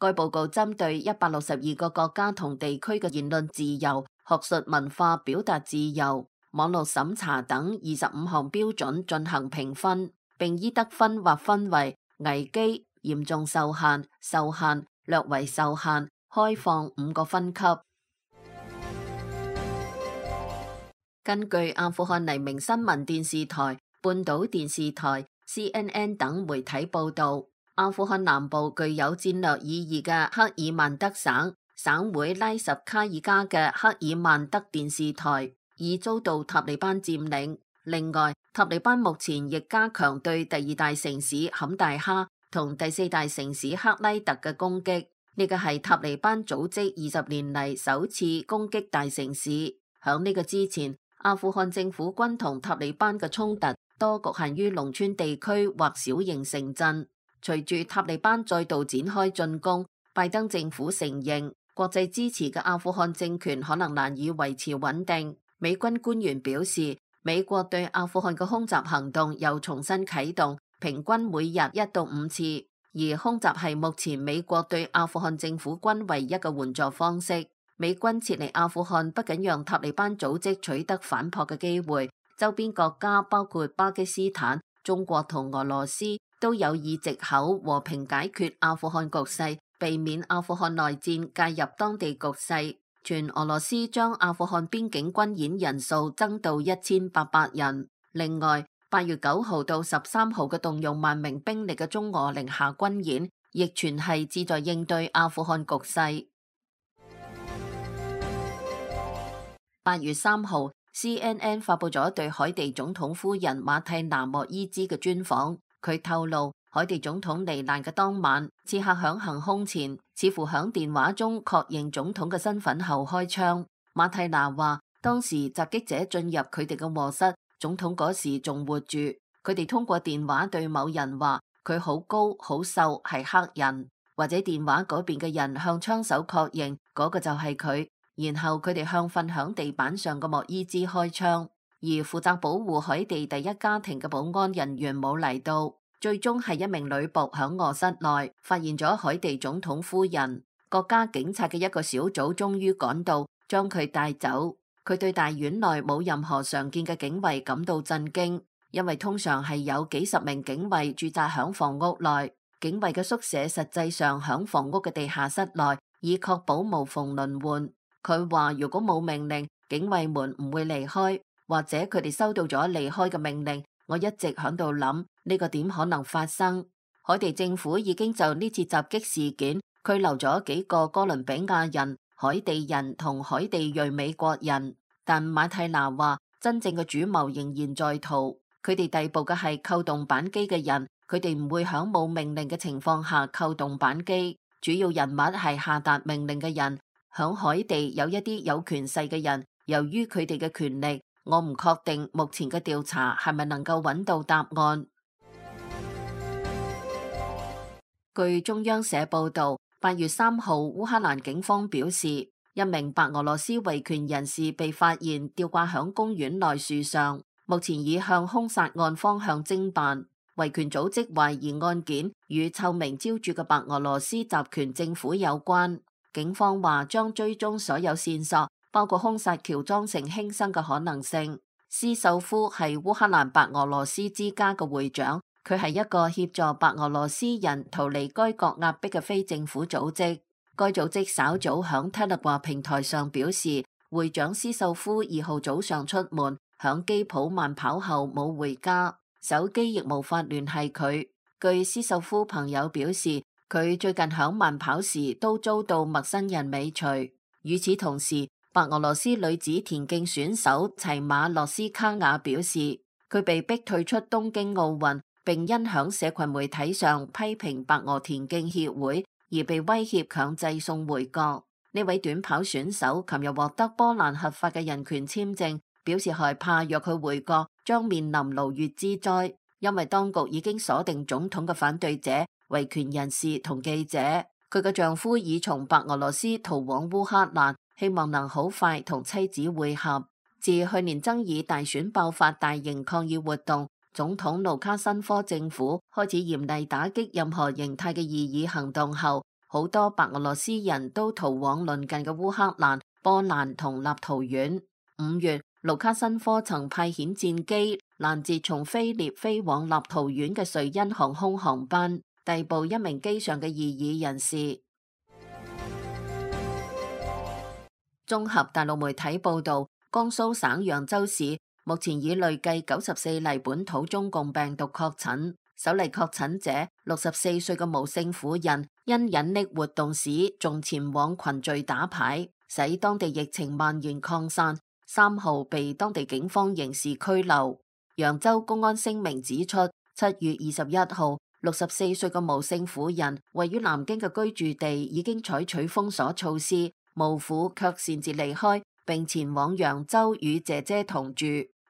該報告針對一百六十二個國家同地區嘅言論自由、學術文化表達自由、網絡審查等二十五項標準進行評分，並依得分劃分為危機、嚴重受限、受限、略為受限、開放五個分級。根據阿富汗黎明新聞電視台、半島電視台、C N N 等媒體報道，阿富汗南部具有戰略意義嘅克爾曼德省省會拉什卡爾加嘅克爾曼德電視台已遭到塔利班佔領。另外，塔利班目前亦加強對第二大城市坎大哈同第四大城市克拉特嘅攻擊。呢個係塔利班組織二十年嚟首次攻擊大城市。響呢個之前，阿富汗政府軍同塔利班嘅衝突多局限於農村地區或小型城鎮。隨住塔利班再度展開進攻，拜登政府承認國際支持嘅阿富汗政權可能難以維持穩定。美軍官員表示，美國對阿富汗嘅空襲行動又重新啟動，平均每日一到五次，而空襲係目前美國對阿富汗政府軍唯一嘅援助方式。美軍撤離阿富汗不僅讓塔利班組織取得反撲嘅機會，周邊國家包括巴基斯坦、中國同俄羅斯都有以藉口和平解決阿富汗局勢，避免阿富汗內戰介入當地局勢。全俄羅斯將阿富汗邊境軍演人數增到一千八百人。另外，八月九號到十三號嘅動用萬名兵力嘅中俄寧夏軍演，亦全係旨在應對阿富汗局勢。八月三號 C N N 發佈咗對海地總統夫人馬蒂娜莫伊茲嘅專訪。佢透露，海地總統罹難嘅當晚，刺客響行兇前，似乎響電話中確認總統嘅身份後開槍。馬蒂娜話，當時襲擊者進入佢哋嘅臥室，總統嗰時仲活住。佢哋通過電話對某人話佢好高好瘦，係黑人，或者電話嗰邊嘅人向槍手確認嗰個就係佢。然後佢哋向瞓響地板上嘅莫伊茲開槍，而負責保護海地第一家庭嘅保安人員冇嚟到。最終係一名女僕響臥室內發現咗海地總統夫人，國家警察嘅一個小組終於趕到，將佢帶走。佢對大院內冇任何常見嘅警衛感到震驚，因為通常係有幾十名警衛駐紮響房屋內，警衛嘅宿舍實際上響房屋嘅地下室內，以確保無縫輪換。佢話如果冇命令，警衛們唔會離開，或者佢哋收到咗離開嘅命令。我一直響度諗呢個點可能發生。海地政府已經就呢次襲擊事件拘留咗幾個哥倫比亞人、海地人同海地裔美國人，但馬蒂娜話真正嘅主謀仍然在逃。佢哋逮捕嘅係扣動扳機嘅人，佢哋唔會響冇命令嘅情況下扣動扳機。主要人物係下達命令嘅人。響海地有一啲有權勢嘅人，由於佢哋嘅權力，我唔確定目前嘅調查係咪能夠揾到答案。據中央社報道，八月三號烏克蘭警方表示，一名白俄羅斯維權人士被發現吊掛響公園內樹上，目前已向兇殺案方向偵辦。維權組織懷疑案件與臭名昭著嘅白俄羅斯集權政府有關。警方話將追蹤所有線索，包括兇殺喬裝成輕生嘅可能性。斯秀夫係烏克蘭白俄羅斯之家嘅會長，佢係一個協助白俄羅斯人逃離該國壓迫嘅非政府組織。該組織稍早響 Telegram 平台上表示，會長斯秀夫二號早上出門，響基普慢跑後冇回家，手機亦無法聯繫佢。據斯秀夫朋友表示，佢最近響慢跑時都遭到陌生人尾隨。與此同時，白俄羅斯女子田徑選手齊馬諾斯卡雅表示，佢被逼退出東京奧運，並因響社群媒體上批評白俄田徑協會而被威脅強制送回國。呢位短跑選手琴日獲得波蘭合法嘅人權簽證，表示害怕若佢回國將面臨牢獄之災，因為當局已經鎖定總統嘅反對者、維權人士同記者。佢嘅丈夫已從白俄羅斯逃往烏克蘭，希望能好快同妻子會合。自去年爭議大選爆發大型抗議活動，總統盧卡申科政府開始嚴厲打擊任何形態嘅異議行動後，好多白俄羅斯人都逃往鄰近嘅烏克蘭、波蘭同立陶宛。五月，盧卡申科曾派遣戰機攔截從菲臘飛往立陶宛嘅瑞恩航空航班，逮捕一名機上嘅異議人士。綜合大陸媒體報道，江蘇省揚州市目前已累計九十四例本土中共病毒確診，首例確診者六十四歲嘅無姓婦人，因隱匿活動史仲前往群聚打牌，使當地疫情蔓延擴散。三號被當地警方刑事拘留。揚州公安聲明指出，七月二十一號，六十四歲嘅無姓婦人位於南京嘅居住地已經採取封鎖措施，無婦卻擅自離開，並前往揚州與姐姐同住。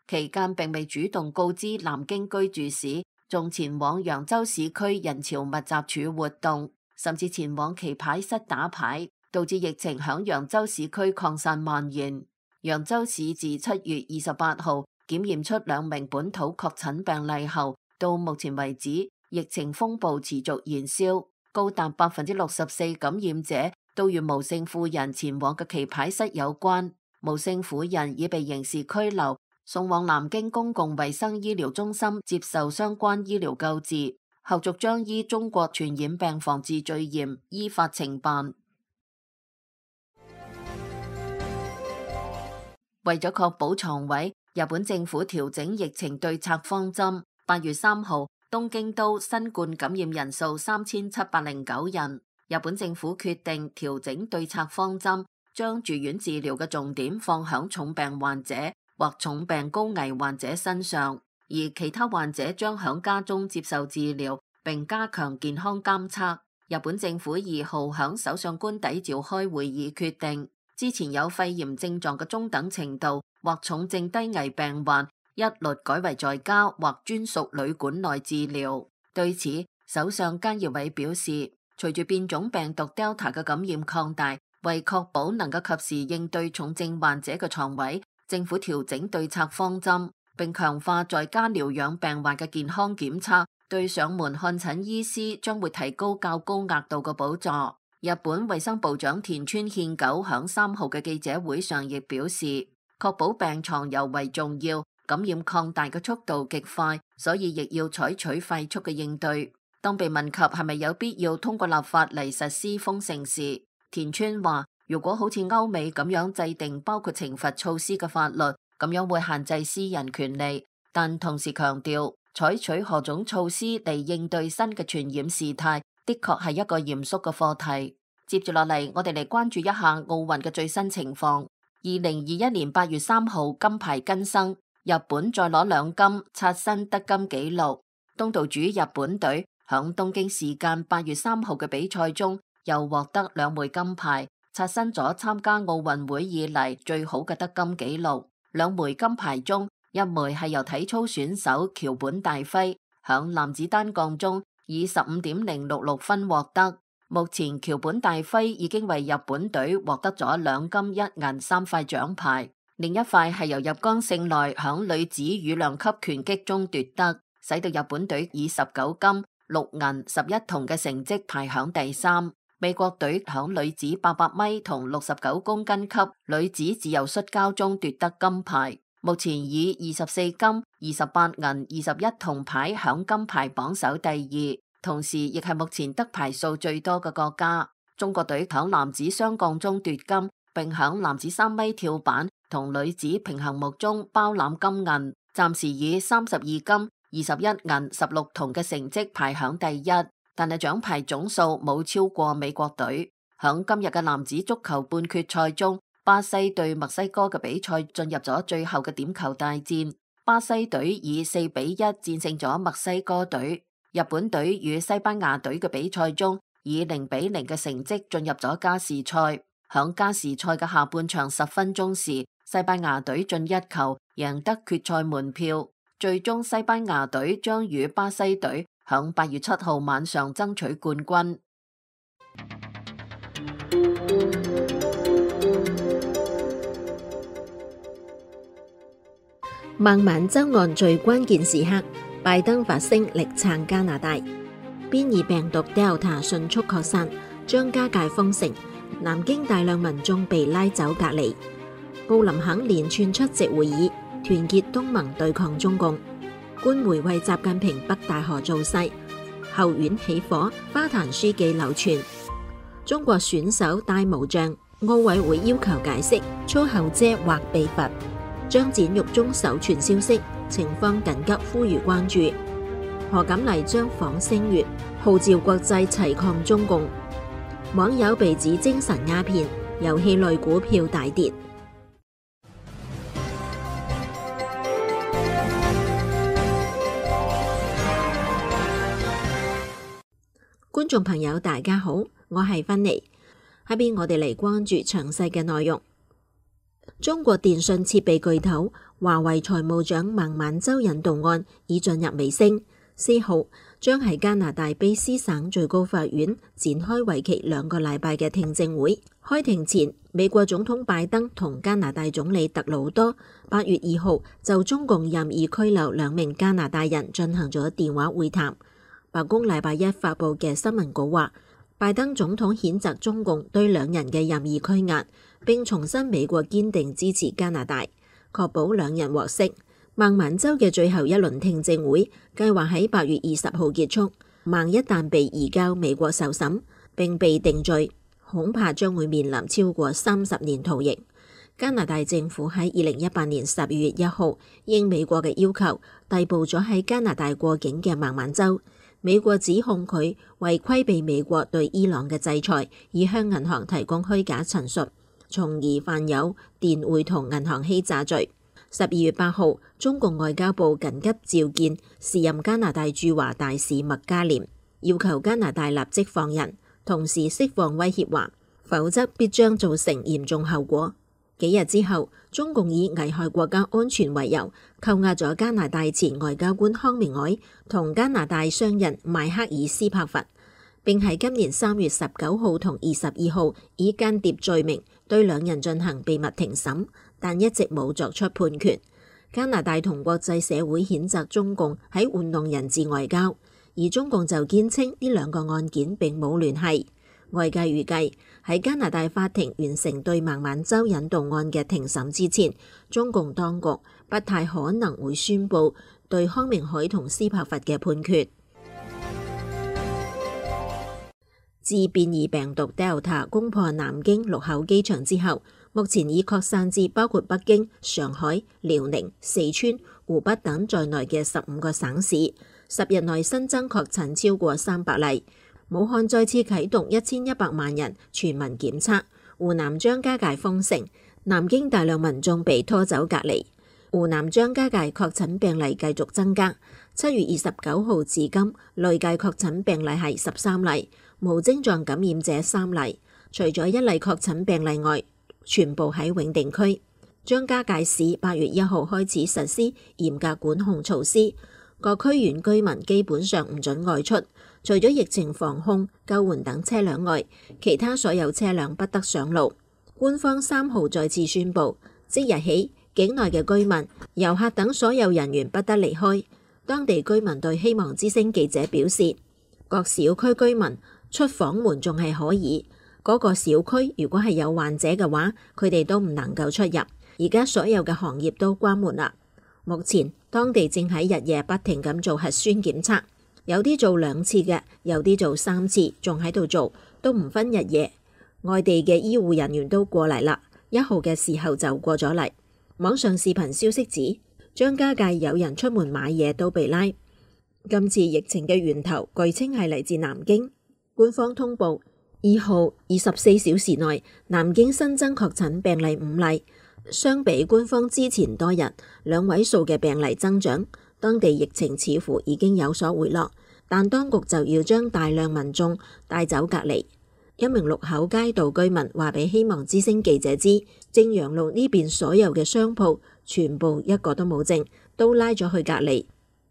期間並未主動告知南京居住史，仲前往揚州市區人潮密集處活動，甚至前往棋牌室打牌，導致疫情響揚州市區擴散蔓延。揚州市自七月二十八號檢驗出兩名本土確診病例後，到目前為止，疫情風暴持續燃燒，高達百分之六十四感染者都與無姓婦人前往嘅棋牌室有關。無姓婦人已被刑事拘留，送往南京公共衛生醫療中心接受相關醫療救治，後續將依中國傳染病防治罪嫌依法懲辦。為咗確保床位，日本政府調整疫情對策方針。八月三號，東京都新冠感染人數三千七百零九人，日本政府決定調整對策方針，將住院治療嘅重點放響重病患者或重病高危患者身上，而其他患者將響家中接受治療，並加強健康監測。日本政府二號響首相官邸召開會議，決定之前有肺炎症狀嘅中等程度或重症低危病患，一律改為在家或專屬旅館內治療。對此，首相菅義偉表示，隨住變種病毒 Delta 嘅感染擴大，為確保能夠及時應對重症患者嘅床位，政府調整對策方針，並強化在家療養病患嘅健康檢測，對上門看診醫師將會提高較高額度嘅補助。日本衛生部長田村憲久響三號嘅記者會上亦表示，確保病床尤為重要，感染擴大嘅速度極快，所以亦要採取快速嘅應對。當被問及係咪有必要通過立法嚟實施封城時，田村話：如果好似歐美咁樣制定包括懲罰措施嘅法律，咁樣會限制私人權利。但同時強調，採取何種措施嚟應對新嘅傳染事態，的確係一個嚴肅嘅課題。接住落嚟，我哋嚟關注一下奧運嘅最新情況。二零二一年八月三號金牌更新，日本再攞兩金，刷新得金紀錄。東道主日本隊響東京時間八月三號嘅比賽中，又獲得兩枚金牌，刷新咗參加奧運會以嚟最好嘅得金紀錄。兩枚金牌中，一枚係由體操選手橋本大輝響男子單槓中以十五點零六六分獲得。目前橋本大輝已經為日本隊獲得咗兩金一銀三塊獎牌，另一塊係由入江聖奈響女子羽量級拳擊中奪得，使到日本隊以十九金六銀十一銅嘅成績排響第三。美國隊響女子八百米同六十九公斤級女子自由摔跤中奪得金牌，目前以二十四金、二十八銀、二十一銅牌響金牌榜首第二，同時亦係目前得牌數最多嘅國家。中國隊響男子雙槓中奪金，並響男子三米跳板同女子平衡木中包攬金銀，暫時以三十二金、二十一銀、十六銅嘅成績排響第一。但係獎牌總數冇超過美國隊。響今日嘅男子足球半決賽中，巴西對墨西哥嘅比賽進入咗最後嘅點球大戰，巴西隊以四比一戰勝咗墨西哥隊。日本隊與西班牙隊嘅比賽中，以零比零嘅成績進入咗加時賽。響加時賽嘅下半場十分鐘時，西班牙隊進一球，贏得決賽門票。最終西班牙隊將與巴西隊響八月七號晚上爭取冠軍。孟晚舟案最關鍵時刻，拜登發聲力撐加拿大。變異病毒 Delta 迅速擴散，將加界封城，南京大量民眾被拉走隔離。布林肯連串出席會議，團結東盟對抗中共。官媒為習近平北戴河造勢，後院起火，花壇書記流傳。中國選手戴無像，奧委會要求解釋，操後遮或被罰。張展獄中首傳消息，情況緊急，呼籲關注。何錦麗將訪星月，號召國際齊抗中共。網友被指精神鴉片，遊戲類股票大跌。觀眾朋友大家好，我係芬妮。下邊我哋嚟關注詳細嘅內容。中國電信設備巨頭華為財務長孟晚舟引渡案已進入尾聲，四號將喺加拿大卑詩省最高法院展開為期兩個禮拜嘅聽證會。開庭前，美國總統拜登同加拿大總理特魯多八月二號就中共任意拘留兩名加拿大人進行咗電話會談。白宮禮拜一發佈嘅新聞稿話，拜登總統譴責中共對兩人嘅任意拘押，並重申美國堅定支持加拿大，確保兩人獲釋。孟晚舟嘅最後一輪聽證會計劃喺八月二十號結束。孟一旦被移交美國受審並被定罪，恐怕將會面臨超過三十年徒刑。加拿大政府喺二零一八年十二月一號應美國嘅要求，逮捕咗喺加拿大過境嘅孟晚舟。美國指控佢為規避美國對伊朗嘅制裁，以向銀行提供虛假陳述，從而犯有電匯同銀行欺詐罪。十二月八號，中共外交部緊急召見時任加拿大駐華大使麥嘉廉，要求加拿大立即放人，同時釋放威脅話，否則必將造成嚴重後果。幾日之後，中共以危害國家安全為由，扣押咗加拿大前外交官康明凱同加拿大商人邁克爾斯柏佛，並喺今年三月十九號同二十二號以間諜罪名對兩人進行秘密庭審，但一直冇作出判決。加拿大同國際社會譴責中共喺玩弄人質外交，而中共就堅稱呢兩個案件並冇聯繫。外界預計喺加拿大法庭完成對孟晚舟引渡案嘅庭審之前，中共當局不太可能會宣布對康明凱同斯柏佛嘅判決。自變異病毒 Delta 攻破南京祿口機場之後，目前已擴散至包括北京、上海、遼寧、四川、湖北等在內嘅十五個省市，十日內新增確診超過三百例。武漢再次啟動一千一百萬人全民檢測，湖南張家界封城，南京大量民眾被拖走隔離。湖南張家界確診病例繼續增加，七月二十九號至今累計確診病例係十三例，無症狀感染者三例，除咗一例確診病例外，全部喺永定區。張家界市八月一號開始實施嚴格管控措施，各區縣居民基本上唔准外出，除咗疫情防控、救援等車輛外，其他所有車輛不得上路。官方三號再次宣布，即日起境內嘅居民、遊客等所有人員不得離開。當地居民對希望之聲記者表示，各小區居民出房門仲係可以，嗰個小區如果係有患者嘅話，佢哋都唔能夠出入。而家所有嘅行業都關門啦。目前當地正喺日夜不停咁做核酸檢測，有啲做兩次嘅，有啲做三次，仲喺度做，都唔分日夜。外地嘅醫護人員都過嚟啦，一號嘅時候就過咗嚟。網上視頻消息指，張家界有人出門買嘢都被拉。今次疫情嘅源頭據稱係嚟自南京。官方通報，二號二十四小時內南京新增確診病例五例。相比官方之前多日兩位數嘅病例增長，當地疫情似乎已經有所回落，但當局就要將大量民眾帶走隔離。一名祿口街道居民話俾希望之聲記者知，正陽路呢邊所有嘅商鋪全部一個都冇剩，都拉咗去隔離。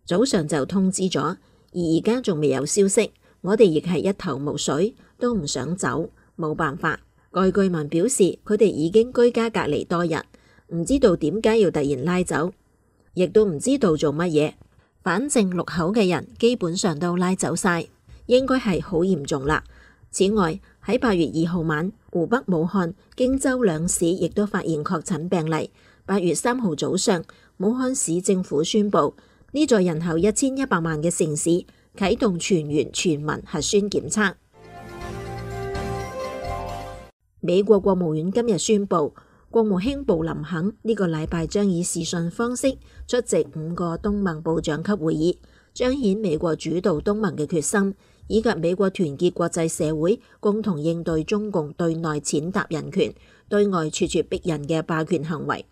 早上就通知咗，而而家仲未有消息，我哋亦係一頭霧水，都唔想走，冇辦法。該居民表示，佢哋已經居家隔離多日，唔知道點解要突然拉走，亦都唔知道做乜嘢。反正六口嘅人基本上都拉走晒，應該係好嚴重啦。此外，喺八月二號晚，湖北武漢、荊州兩市亦都發現確診病例。八月三號早上，武漢市政府宣布，呢座人口一千一百萬嘅城市啟動全員全民核酸檢測。美國國務院今日宣布，國務卿布林肯呢個禮拜將以視訊方式出席五個東盟部長級會議，彰顯美國主導東盟嘅決心，以及美國團結國際社會共同應對中共對內踐踏人權、對外咄咄逼人嘅霸權行為。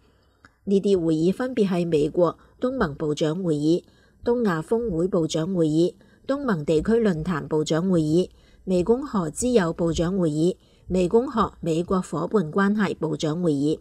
呢啲會議分別係美國東盟部長會議、東亞峰會部長會議、東盟地區論壇部長會議、湄公河之友部長會議、湄公河美國夥伴關係部長會議。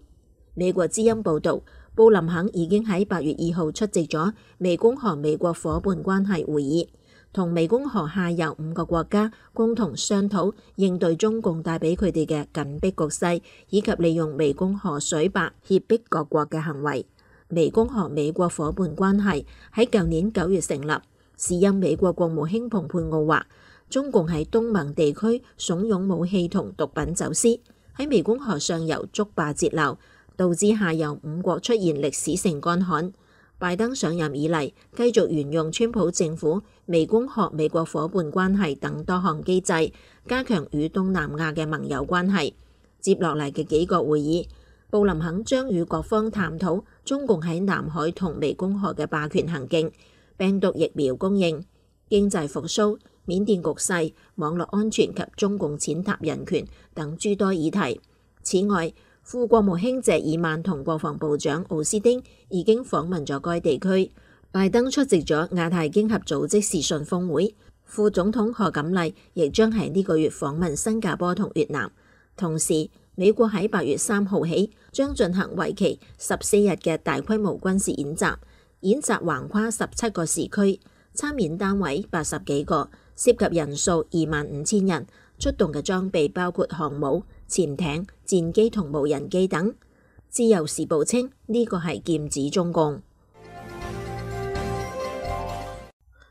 美國之音報道，布林肯已經喺八月二號出席咗湄公河美國夥伴關係會議，同湄公河下游五個國家共同商討應對中共帶俾佢哋嘅緊迫局勢，以及利用湄公河水壩脅迫各國嘅行為。湄公河美國夥伴關係喺舊年九月成立，時任美國國務卿蓬佩奧話，中共喺東盟地區慫恿武器同毒品走私，喺湄公河上游築壩截流，導致下游五國出現歷史性乾旱。拜登上任以嚟，繼續沿用川普政府湄公河美國夥伴關係等多項機制，加強與東南亞嘅盟友關係。接落嚟嘅幾個會議，布林肯將與各方探討中共喺南海同湄公河嘅霸權行徑、病毒疫苗供應、經濟復甦、緬甸局勢、網絡安全及中共踐踏人權等諸多議題。此外，副國務卿謝爾曼同國防部長奧斯汀已經訪問咗該地區。拜登出席咗亞太經合組織視訊峰會，副總統賀錦麗亦將喺呢個月訪問新加坡同越南。同時，美國喺八月三號起將進行為期十四日嘅大規模軍事演習，演習橫跨十七個時區，參演單位八十幾個，涉及人數二萬五千人，出動嘅裝備包括航母、潛艇、戰機同無人機等。自由時報稱呢個係劍指中共。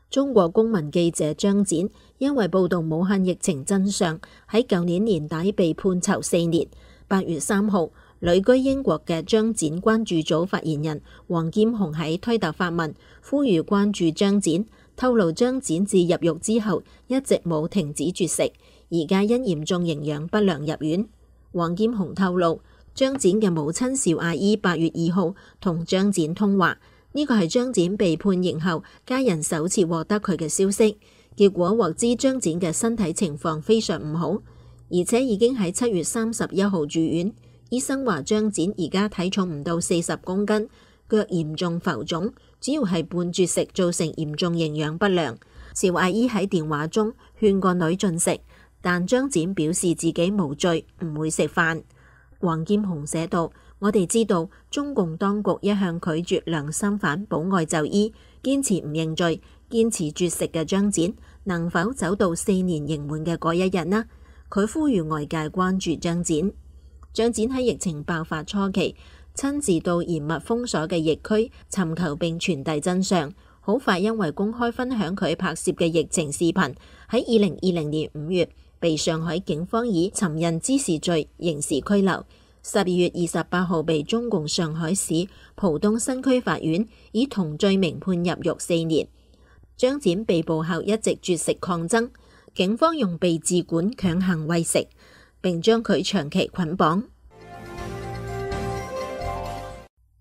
中國公民記者張展因為報道武漢疫情真相，喺舊年年底被判囚四年。八月三號，旅居英國嘅張展關注組發言人黃劍虹喺推特發文，呼籲關注張展，透露張展自入獄之後一直冇停止絕食，而家因嚴重營養不良入院。黃劍虹透露，張展嘅母親邵阿姨八月二號同張展通話，呢個係張展被判刑後家人首次獲得佢嘅消息。結果獲知張展嘅身體情況非常唔好，而且已經喺七月三十一號住院。醫生話張展而家體重唔到四十公斤，腳嚴重浮腫，主要係半絕食造成嚴重營養不良。邵阿姨喺電話中勸個女進食，但張展表示自己無罪，唔會食飯。黃劍虹寫道：我哋知道中共當局一向拒絕良心犯保外就醫，堅持唔認罪，堅持絕食嘅張展能否走到四年刑滿嘅嗰一日呢？佢呼籲外界關注張展。張展喺疫情爆發初期親自到嚴密封鎖嘅疫區尋求並傳遞真相，好快因為公開分享佢拍攝嘅疫情視頻，喺二零二零年五月被上海警方以尋釁滋事罪刑事拘留。十二月二十八號被中共上海市浦東新區法院以同罪名判入獄四年。張展被捕後一直絕食抗爭，警方用被治管強行餵食，並將佢長期捆綁。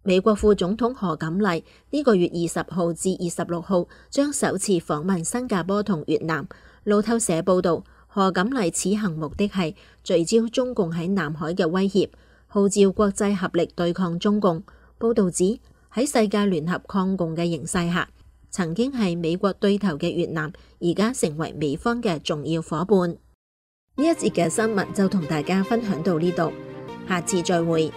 美國副總統賀錦麗呢個月二十號至二十六號將首次訪問新加坡同越南。路透社報道，賀錦麗此行目的係聚焦中共喺南海嘅威脅，號召國際合力對抗中共。報道指喺世界聯合抗共嘅形勢下，曾經係美國對頭嘅越南，而家成為美方嘅重要夥伴。呢一節嘅新聞就同大家分享到呢度，下次再會。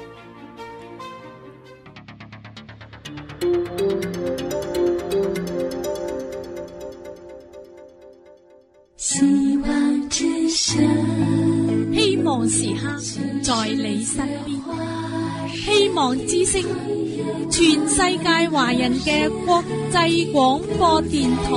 希望之聲，希望時刻在你身邊，希望之聲，全世界華人嘅國際廣播電台。